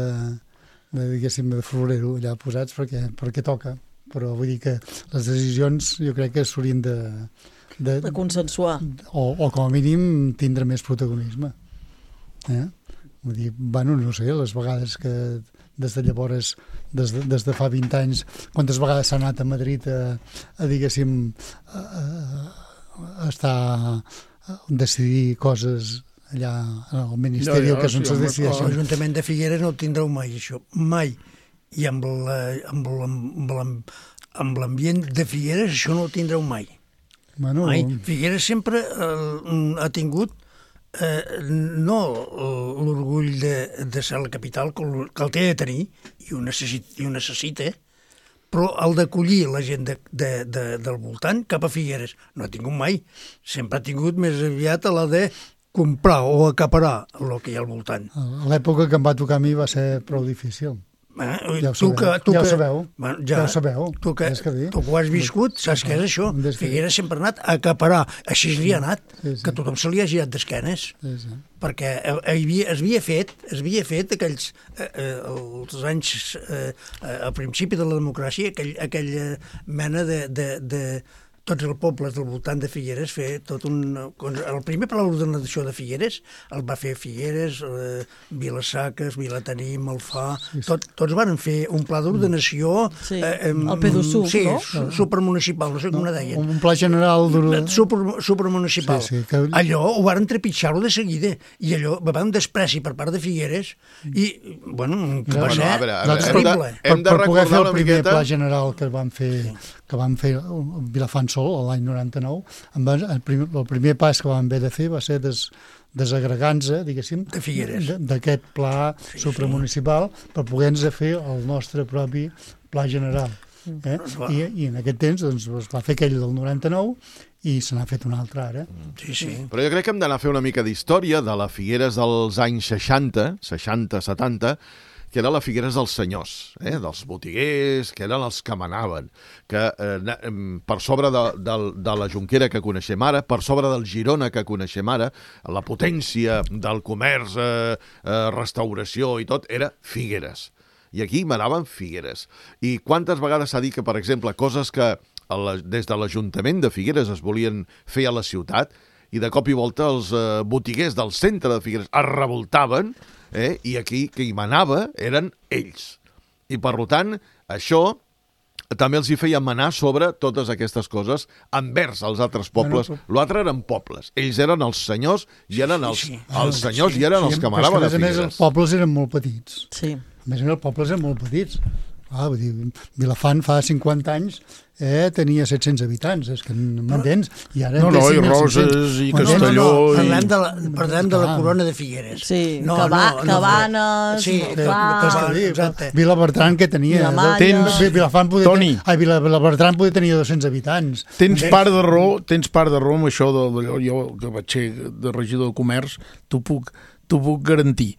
de diguéssim, de florero allà posats perquè, perquè toca, però vull dir que les decisions jo crec que s'haurien de, de, de consensuar. O, o com a mínim tindre més protagonisme. Eh? Vull dir, bueno, no sé, les vegades que des de llavors, des de, des de fa vint anys, quantes vegades s'ha anat a Madrid a, a diguéssim, a, a, a estar a decidir coses allà al Ministeri, que és on se decideixen. L'Ajuntament de Figueres no el tindreu mai, això, mai. I amb l'ambient de Figueres això no el tindreu mai. Bueno, mai. Figueres sempre eh, ha tingut eh, no l'orgull de, de ser la capital, que el, que el té de tenir, i ho necessita, i ho necessita, però el d'acollir la gent de, de, de, del voltant cap a Figueres no ha tingut mai. Sempre ha tingut més aviat a la de comprar o acaparar el que hi ha al voltant. A l'època que em va tocar a mi va ser prou difícil. Eh? Ja ho tu sabeu, que, tu ja ho que, sabeu, bueno, ja, ja ho sabeu. Tu que, que, tu que ho has viscut, saps què és això? Figueres sempre ha anat a acaparar, així li ha anat, sí, sí. Que tothom se li ha girat d'esquenes, sí, sí. Perquè havia, es havia fet, es havia fet aquells, eh, els anys, eh, al principi de la democràcia, aquell, aquella mena de, de, de tots els pobles del voltant de Figueres fer tot un... El primer pla d'ordenació de Figueres el va fer Figueres, eh, Vilasaques, Vilatanim, Alfà... Sí, sí. Tot, tots van fer un pla d'ordenació... Sí, eh, el P D U, sí, no? supermunicipal, no sé com no, ne deien. Un pla general... Super, supermunicipal. Sí, sí, que... Allò ho van trepitjar-ho de seguida, i allò va haver un despreci per part de Figueres, i, bueno, que va ser terrible. Per, per poder fer el primer miqueta... pla general que van fer... Sí. que van fer Vilafant sol l'any noranta-nou, el primer, el primer pas que van haver de fer va ser des, desagregant-se, diguéssim, de Figueres, d'aquest pla sí, supramunicipal sí. Per poder-nos fer el nostre propi pla general. Eh? I, I en aquest temps doncs, es va fer aquell del noranta-nou i se n'ha fet un altre ara. Sí, sí. Però jo crec que hem d'anar a fer una mica d'història de la Figueres dels anys seixanta, seixanta setanta, que era la Figueres dels senyors, eh? Dels botiguers, que eren els que manaven, que eh, per sobre de, de, de la Jonquera que coneixem ara, per sobre del Girona que coneixem ara, la potència del comerç, eh, eh, restauració i tot, era Figueres. I aquí manaven Figueres. I quantes vegades s'ha dit que, per exemple, coses que la, des de l'Ajuntament de Figueres es volien fer a la ciutat, i de cop i volta els eh, botiguers del centre de Figueres es revoltaven, eh? I aquí que hi manava eren ells. I per tant, això també els hi feia manar sobre totes aquestes coses envers els altres pobles. Bueno, l'altre eren pobles. Ells eren els senyors i eren els, sí, sí. els senyors sí, i eren sí, els que manaven a Figueres. A més, els pobles eren molt petits. Sí. A més, els pobles eren molt petits. Ah, vull dir, Vilafant fa cinquanta anys eh, tenia set-cents habitants, és que m'entens? I ara no, no, i Roses i Castelló... No, no, parlem de la, parlem de la corona de Figueres. Sí, no, Caba, no, no, Cabanes... Sí, clar, Vilabertran, que tenia... Tens, Vilafant podia Toni, tenir, Vilabertran podia tenir dos-cents habitants. Tens part de raó, tens part de raó amb això, de, de, jo que vaig ser de regidor de comerç, t'ho puc, t'ho puc garantir.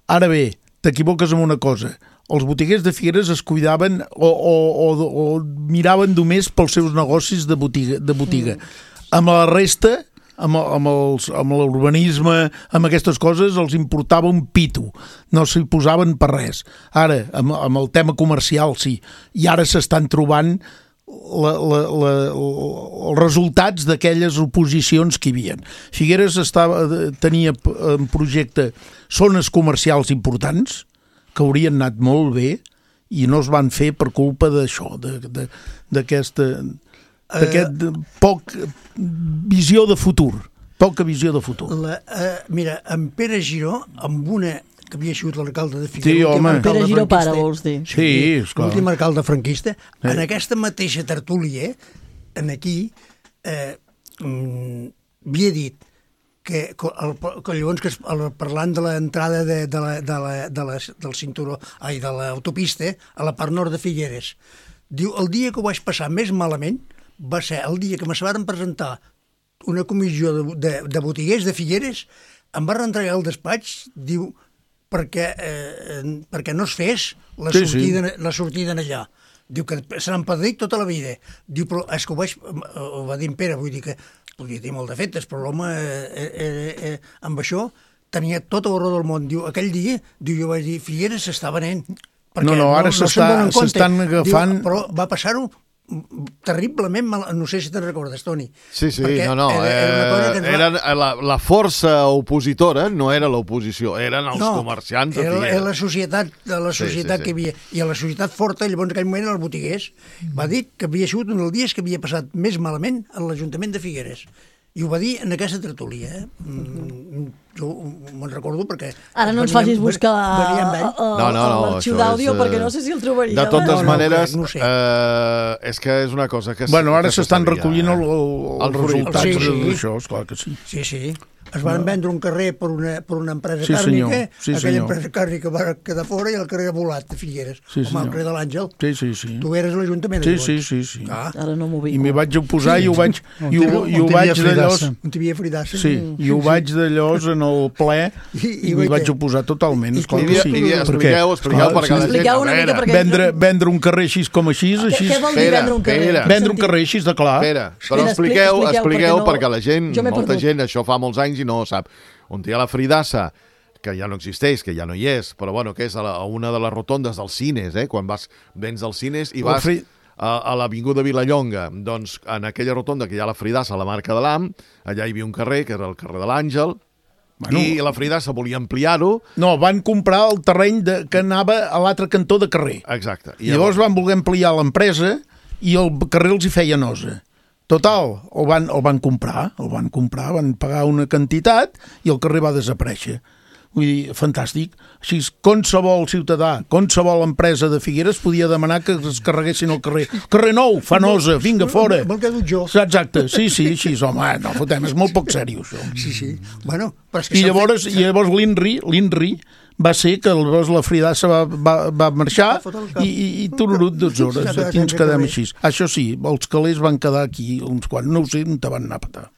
Ara bé, t'equivoques amb una cosa. Els botiguers de Figueres es cuidaven o, o, o, o miraven només pels seus negocis de botiga. De botiga. Mm. Amb la resta, amb, amb, els, amb l'urbanisme, amb aquestes coses, els importava un pito. No s'hi posaven per res. Ara, amb, amb el tema comercial, sí. I ara s'estan trobant la, la, la, els resultats d'aquelles oposicions que hi havia. Figueres estava, tenia en projecte zones comercials importants, que haurien anat molt bé i no es van fer per culpa d'això, d'aquesta d'aquest uh, poc visió de futur, poca visió de futur. La, uh, mira, en Pere Giró, amb una que havia sigut l'alcalde de Figueres, sí, home. Pere Giró pare, vols dir? Sí, esclar. L'últim alcalde franquista, sí. En aquesta mateixa tertúlia, en aquí, eh, mm, havia dit que, el, que llavors que el, parlant de l'entrada de, de la, de la, de la, del cinturó, ai, de l'autopista a la part nord de Figueres, diu, el dia que ho vaig passar més malament va ser el dia que me se van presentar una comissió de, de, de botiguers de Figueres, em va reentregar al despatx, diu, perquè, eh, perquè no es fes la sí, sortida, sí. la sortida en allà. Diu que se n'han perdut tota la vida. Diu, però és que ho vaig... Ho va dir en Pere, vull dir que podia tenir molt defectes, però l'home eh, eh, eh, amb això tenia tota la raó del món. Diu, aquell dia, diu, jo vaig dir, Figueres s'està venent. No, no, ara no, s'estan no agafant... Diu, però va passar-ho terriblement mal... No sé si te'n recordes, Toni. Sí, sí, no, no. Era, era eh, va... era la, la força opositora no era l'oposició, eren els no, comerciants de Figueres. Era la societat, la societat sí, sí, sí. que hi havia. I a la societat forta, llavors en aquell moment, els botiguers, va dir que havia sigut un dels dies que havia passat més malament a l'Ajuntament de Figueres. I ho va dir en aquesta tertúlia, eh? Mm, jo me'n recordo perquè... Ara no ens facis buscar l'arxiu d'àudio perquè no sé si el trobaríem. De totes maneres, és que és una cosa que... Bueno, ara s'estan recollint els resultats d'això, esclar que sí. Sí, sí. Es van vendre un carrer per una, per una empresa sí, càrnica, sí, aquella senyor. empresa càrnica va quedar fora i el carrer volat de Figueres, sí, com el carrer de l'Àngel. Sí, sí, sí. Tu eres l'Ajuntament. Sí, sí, sí, sí. Ah. Ara no m'ho ubico. I m'hi vaig oposar sí. i ho vaig, i ho, i ho vaig d'allòs... On t'hi havia fridassa. Sí, i ho vaig d'allòs en el ple i m'hi vaig oposar totalment. Esclar que sí. Expliqueu, expliqueu per cada gent. Vendre, vendre un carrer així com així, així... Què vol dir vendre un carrer? Vendre un carrer així, de clar. Espera, però expliqueu, expliqueu perquè la gent, molta gent, això fa molts anys i no ho sap. On hi ha la Fridassa, que ja no existeix, que ja no hi és, però bueno, que és a, la, a una de les rotondes dels cines, eh? Quan vas, vens dels cines i vas a, a l'Avinguda Vilallonga, doncs en aquella rotonda que hi ha la Fridassa, la marca de l'A M, allà hi havia un carrer, que era el carrer de l'Àngel, bueno, i la Fridassa volia ampliar-ho. No, van comprar el terreny de, que anava a l'altre cantó de carrer. Exacte. I llavors van voler ampliar l'empresa i el carrer els hi feia nosa. Total, el van, el van comprar, el van comprar, van pagar una quantitat i el carrer va desaparèixer. Vull dir, fantàstic. Així, qualsevol ciutadà, qualsevol empresa de Figueres podia demanar que es carreguessin el carrer. Carrer nou, fa nosa, vinga, fora. Vol que dut jo. Exacte, sí, sí, així, home, no fotem, és molt poc seriós, això. Sí, sí. Bueno, però és que I llavors, i llavors l'Inri, l'Inri, va ser que llavors la Fridassa va, va, va marxar i, i, i tururut dues hores. Aquí ens quedem així. Això sí, els calés van quedar aquí uns quants. No ho sé, no te van anar a petar.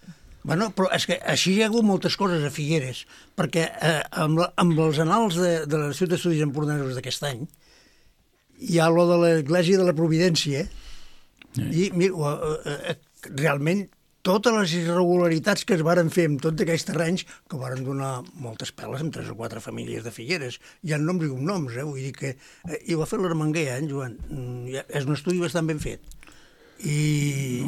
Bueno, però és que així hi ha hagut moltes coses a Figueres, perquè eh, amb, la, amb els anals de, de l'Institut d'Estudis Empordanesos d'aquest any hi ha lo de l'Església de la Providència sí. i mira, eh, realment totes les irregularitats que es varen fer amb tots aquells terrenys, que varen donar moltes peles amb tres o quatre famílies de Figueres. Hi ha noms i cognoms, eh? Vull dir que... Eh, i ho ha fet l'Armenguer, eh, en Joan? Mm, és un estudi bastant ben fet. I...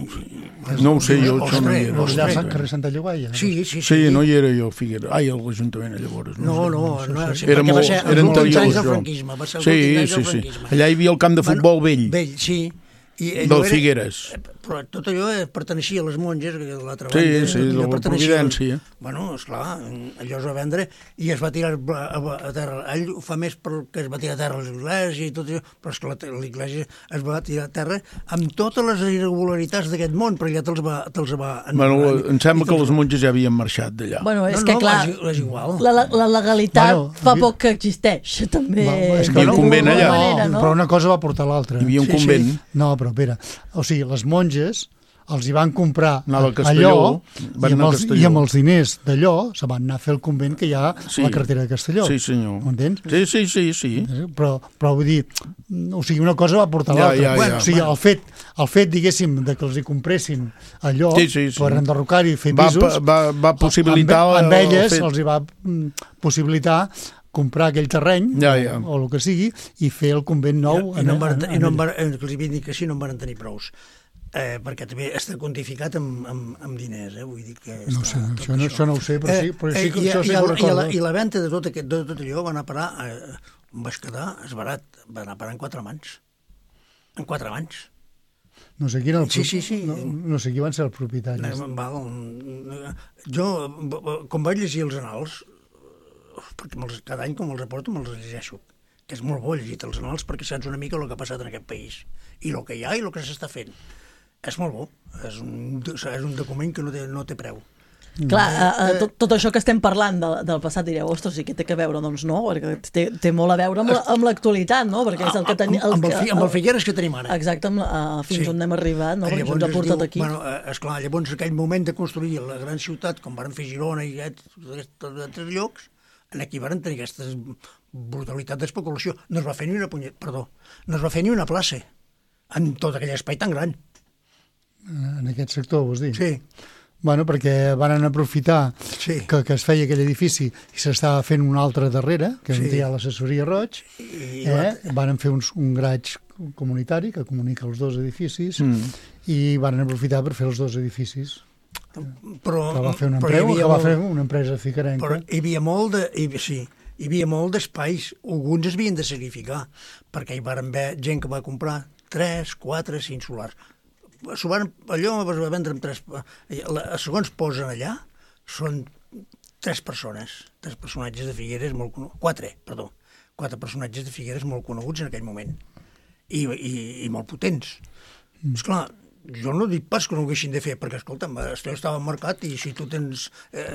No ho sé, jo això no hi era. Allà al carrer Santa Llogaia? Sí, sí, sí. Sí, no hi era jo, Figueres. Ai, a l'Ajuntament, llavors. No, no, no, sí, era perquè molt, va ser els últims anys del franquisme. Va ser els últims anys del franquisme. Allà hi havia el camp de futbol vell. Vell, sí. Del Figueres. Però tot allò perteneixia a les monges, de l'altra banda. Sí, sí, de la Providència. Bueno, esclar, allò es va vendre i es va tirar a terra. Ell ho fa més perquè es va tirar a terra l'església i tot això, però és que l'església es va tirar a terra amb totes les irregularitats d'aquest món, però ja te'ls va... Te va bueno, em sembla que les monges ja havien marxat d'allà. Bueno, és no, que no, clar, és igual. La, la legalitat bueno, fa poc que existeix, també. Va, és que hi havia un convent allà. Manera, no? Però una cosa va portar l'altra. Hi havia un sí, convent. Sí. No, però espera, o sigui, les monges els hi van comprar Castelló, allò i amb, els, i amb els diners d'allò se van anar a fer el convent que hi ha sí. a la carretera de Castelló. Sí, senyor. M'entens? Sí, sí, sí, sí. Però, però vull dir, o sigui, una cosa va portar ja, l'altra. Ja, ja, o sigui, el fet, el fet, diguéssim, de que els hi compressin allò sí, sí, sí. per enderrocar-hi i fer va, pisos, va, va possibilitar... Amb, amb elles fet... els hi va possibilitar comprar aquell terreny, ja, ja. o, o el que sigui, i fer el convent nou. Ja, I no en, en, en, en, en, els hi vinc que sí, no en van tenir prous. Eh, perquè també està quantificat amb, amb, amb diners, eh? Vull dir que... No sé, això, no, això no ho sé, però sí, però sí que eh, això sí que ho recordo. I la, i la venda de tot, aquest, de tot allò va anar a parar, eh, em vaig quedar esbarat, va anar a parar en quatre mans. En quatre mans. No sé qui era el sí, sí, sí. No, no sé qui van ser els propietaris. Eh, val, jo, com vaig llegir els anals, perquè cada any com els reporto me'ls llegeixo, que és molt bo llegir els anals perquè saps una mica el que ha passat en aquest país, i el que hi ha i el que s'està fent. És molt bo, és un, és un document que no té, no té preu. Clar, eh, tot, tot això que estem parlant de, del passat, direu, ostres, sí que té que veure, doncs no, perquè té, té molt a veure amb l'actualitat, la, no? Perquè és el que tenim... Amb, amb, el, amb el Figueres que tenim ara. Exacte, amb, uh, fins sí. on hem arribat, no? Perquè llavors ens ha portat diu, aquí. Bueno, esclar, llavors aquell moment de construir la gran ciutat, com van fer Girona i altres llocs, aquí van tenir aquesta brutalitat d'especulació. No es va fer ni una punyet, perdó, no es va fer ni una plaça en tot aquell espai tan gran. En aquest sector, vols dir? Sí. Bueno, perquè van aprofitar sí. que, que es feia aquell edifici i s'estava fent un altre darrere, que sí. hi ha l'assessoria Roig, I, eh? van fer un, un graig comunitari que comunica els dos edificis mm. i van aprofitar per fer els dos edificis. Però, que va fer una empresa, que va molt, fer una empresa ficarenca. Però hi havia molt de... Hi, sí, hi havia molt d'espais, alguns es havien de sacrificar, perquè hi van haver gent que va comprar tres, quatre, cinc solars. Van, allò es va vendre amb tres... Segons posen allà, són tres persones, tres personatges de Figueres molt coneguts, quatre, perdó, quatre personatges de Figueres molt coneguts en aquell moment, i, i, i molt potents. Mm. Esclar, jo no dic pas que no ho haguessin de fer, perquè, escolta'm, estava al mercat i si tu tens, eh,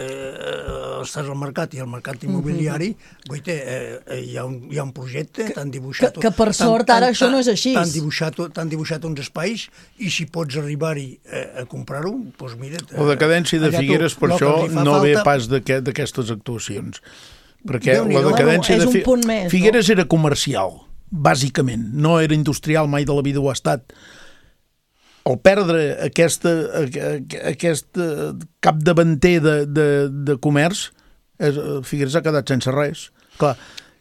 estàs al mercat i al mercat immobiliari, mm-hmm. guaita, eh, hi, ha un, hi ha un projecte, t'han dibuixat... Que, que per sort ara això no és així. T'han dibuixat, t'han dibuixat uns espais i si pots arribar-hi eh, a comprar-ho, doncs mira't... La decadència de Figueres, per això, no ve pas d'aquestes actuacions. Perquè la decadència de Figueres... Figueres era comercial, bàsicament, no era industrial, mai de la vida ho ha estat. Al perdre aquesta, aquest capdavanter de, de, de comerç, Figueres ha quedat sense res. Clar,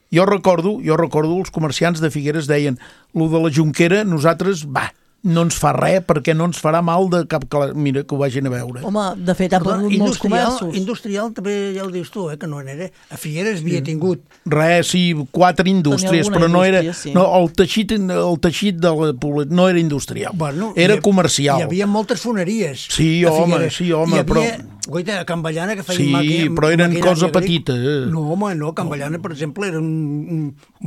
jo recordo, jo recordo els comerciants de Figueres deien, lo de la Jonquera, nosaltres, va, no ens fa res perquè no ens farà mal de cap... Mira, que ho vagin a veure. Home, de fet, ha perdut molts comerços. Industrial també ja ho dius tu, eh, que no era. A Figueres havia tingut... Res, sí, quatre indústries, però no era... Sí. No, el teixit, el teixit de la població no era industrial, bueno, era hi, comercial. Hi havia moltes foneries. Sí, home, sí, home, hi havia, però... Guaita, a Can Ballana que feien sí, màquina... Sí, però eren cosa petita. No, home, no, Can Ballana, per exemple, era un, un,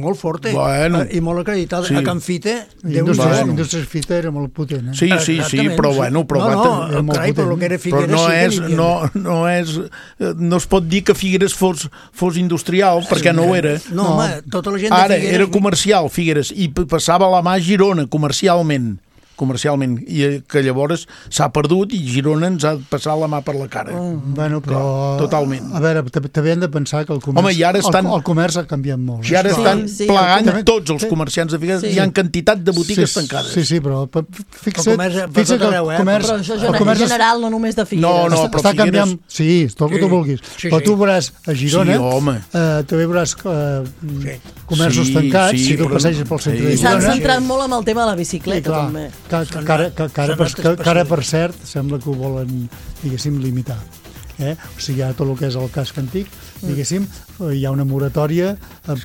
molt forta bueno, i molt acreditada. Sí. A Can Fita... Indústries bueno. Fita era molt potent, eh? Sí, sí, sí, però bueno... Però no, no, no carai, però el que era Figueres... Però no és, no, no és... No es pot dir que Figueres fos, fos industrial, perquè no ho era. No, home, tota la gent de Ara, Figueres... era comercial, Figueres, i passava la mà a Girona, comercialment. comercialment, i que llavors s'ha perdut i Girona ens ha passat la mà per la cara. Oh. Bueno, però... Clar, totalment. A veure, també hem de pensar que el comerç, Home, i ara estan, el, el comerç ha canviat molt. I ara sí, estan sí, plegant sí. tots els comerciants de Figueres, sí. Hi ha quantitat de botigues sí, tancades. Sí, sí, però fixa't, fixa't que el arreu, eh? comerç... Però això és comerç general, no només de Figueres. No, no, però està Figueres... canviant... Sí, tot el que tu vulguis. Sí, però tu veuràs a Girona, sí, eh, també veuràs eh, sí. comerços sí, tancats, sí, si tu però... passeges pel centre sí. de Girona... S'han centrat molt amb el tema de la bicicleta, sí, també. Que, que, que, que, que, ara, que, que ara, per cert, sembla que ho volen, diguéssim, limitar. Eh? O sigui, hi ha tot el que és el casc antic, diguéssim, hi ha una moratòria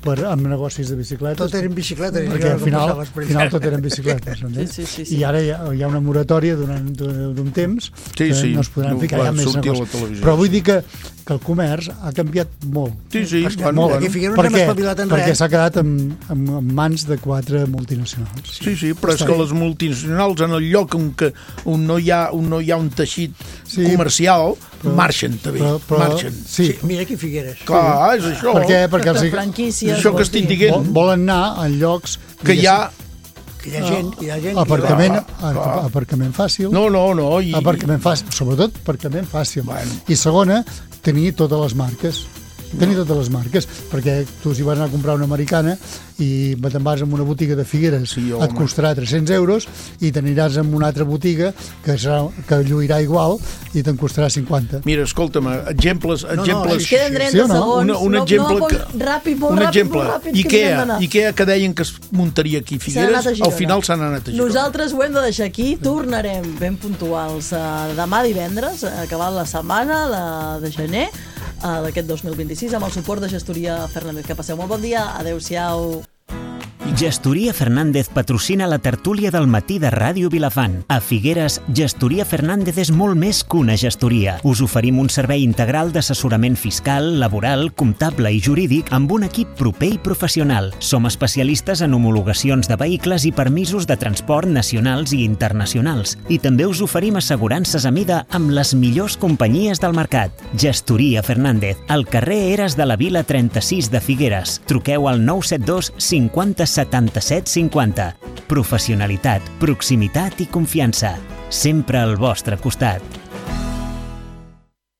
per, amb negocis de bicicletes. Tot eren bicicletes. Perquè al final, al final tot eren bicicletes. Sí, sí, sí, sí. I ara hi ha, hi ha una moratòria d'un temps sí, que sí. no es podran no, ficar ja més negocis. Però vull dir que, que el comerç ha canviat molt. Sí, sí. Bueno, molt. Bueno. Perquè, perquè s'ha quedat en, en, en mans de quatre multinacionals. Sí, sí, però és que les multinacionals en el lloc on, que, on, no, hi ha, on no hi ha un teixit sí, comercial però, marxen també. Però, però, marxen. Sí. Sí, mira aquí Figueres. Clar, és això. Per què? Perquè els, franquícies, això que estic dient. Volen anar en llocs que hi ha que hi ha gent, que hi ha gent aparcament, que hi ha... aparcament fàcil. No, no, no. I... Aparcament fàcil, sobretot aparcament fàcil. Bueno. I segona, tenir totes les marques. Tenir totes les marques, perquè tu si vas anar a comprar una americana i te'n vas en una botiga de Figueres, sí, et costarà tres-cents euros i t'aniràs en una altra botiga que, serà, que lluirà igual i te'n costarà cinquanta. Mira, escolta'm, exemples... No, exemples... no, ens queden trenta sí, no? segons. Una, un exemple no, no, que... Ràpid, molt un ràpid, exemple. molt ràpid. Ikea, Ikea que deien que es muntaria aquí a Figueres, a al final s'han anat a Girona. Nosaltres ho hem de deixar aquí, tornarem ben puntuals uh, demà divendres, acabat la setmana de, de gener, Uh, d'aquest dos mil vint-i-sis, amb el suport de Gestoria Fernández. Que passeu molt bon dia, adeu-siau. Gestoria Fernández patrocina la tertúlia del matí de Ràdio Vilafant. A Figueres, Gestoria Fernández és molt més que una gestoria. Us oferim un servei integral d'assessorament fiscal, laboral, comptable i jurídic amb un equip proper i professional. Som especialistes en homologacions de vehicles i permisos de transport nacionals i internacionals. I també us oferim assegurances a mida amb les millors companyies del mercat. Gestoria Fernández, al carrer Eres de la Vila trenta-sis de Figueres. Truqueu al nou set dos cinquanta setanta-set cinquanta. Professionalitat, proximitat i confiança. Sempre al vostre costat.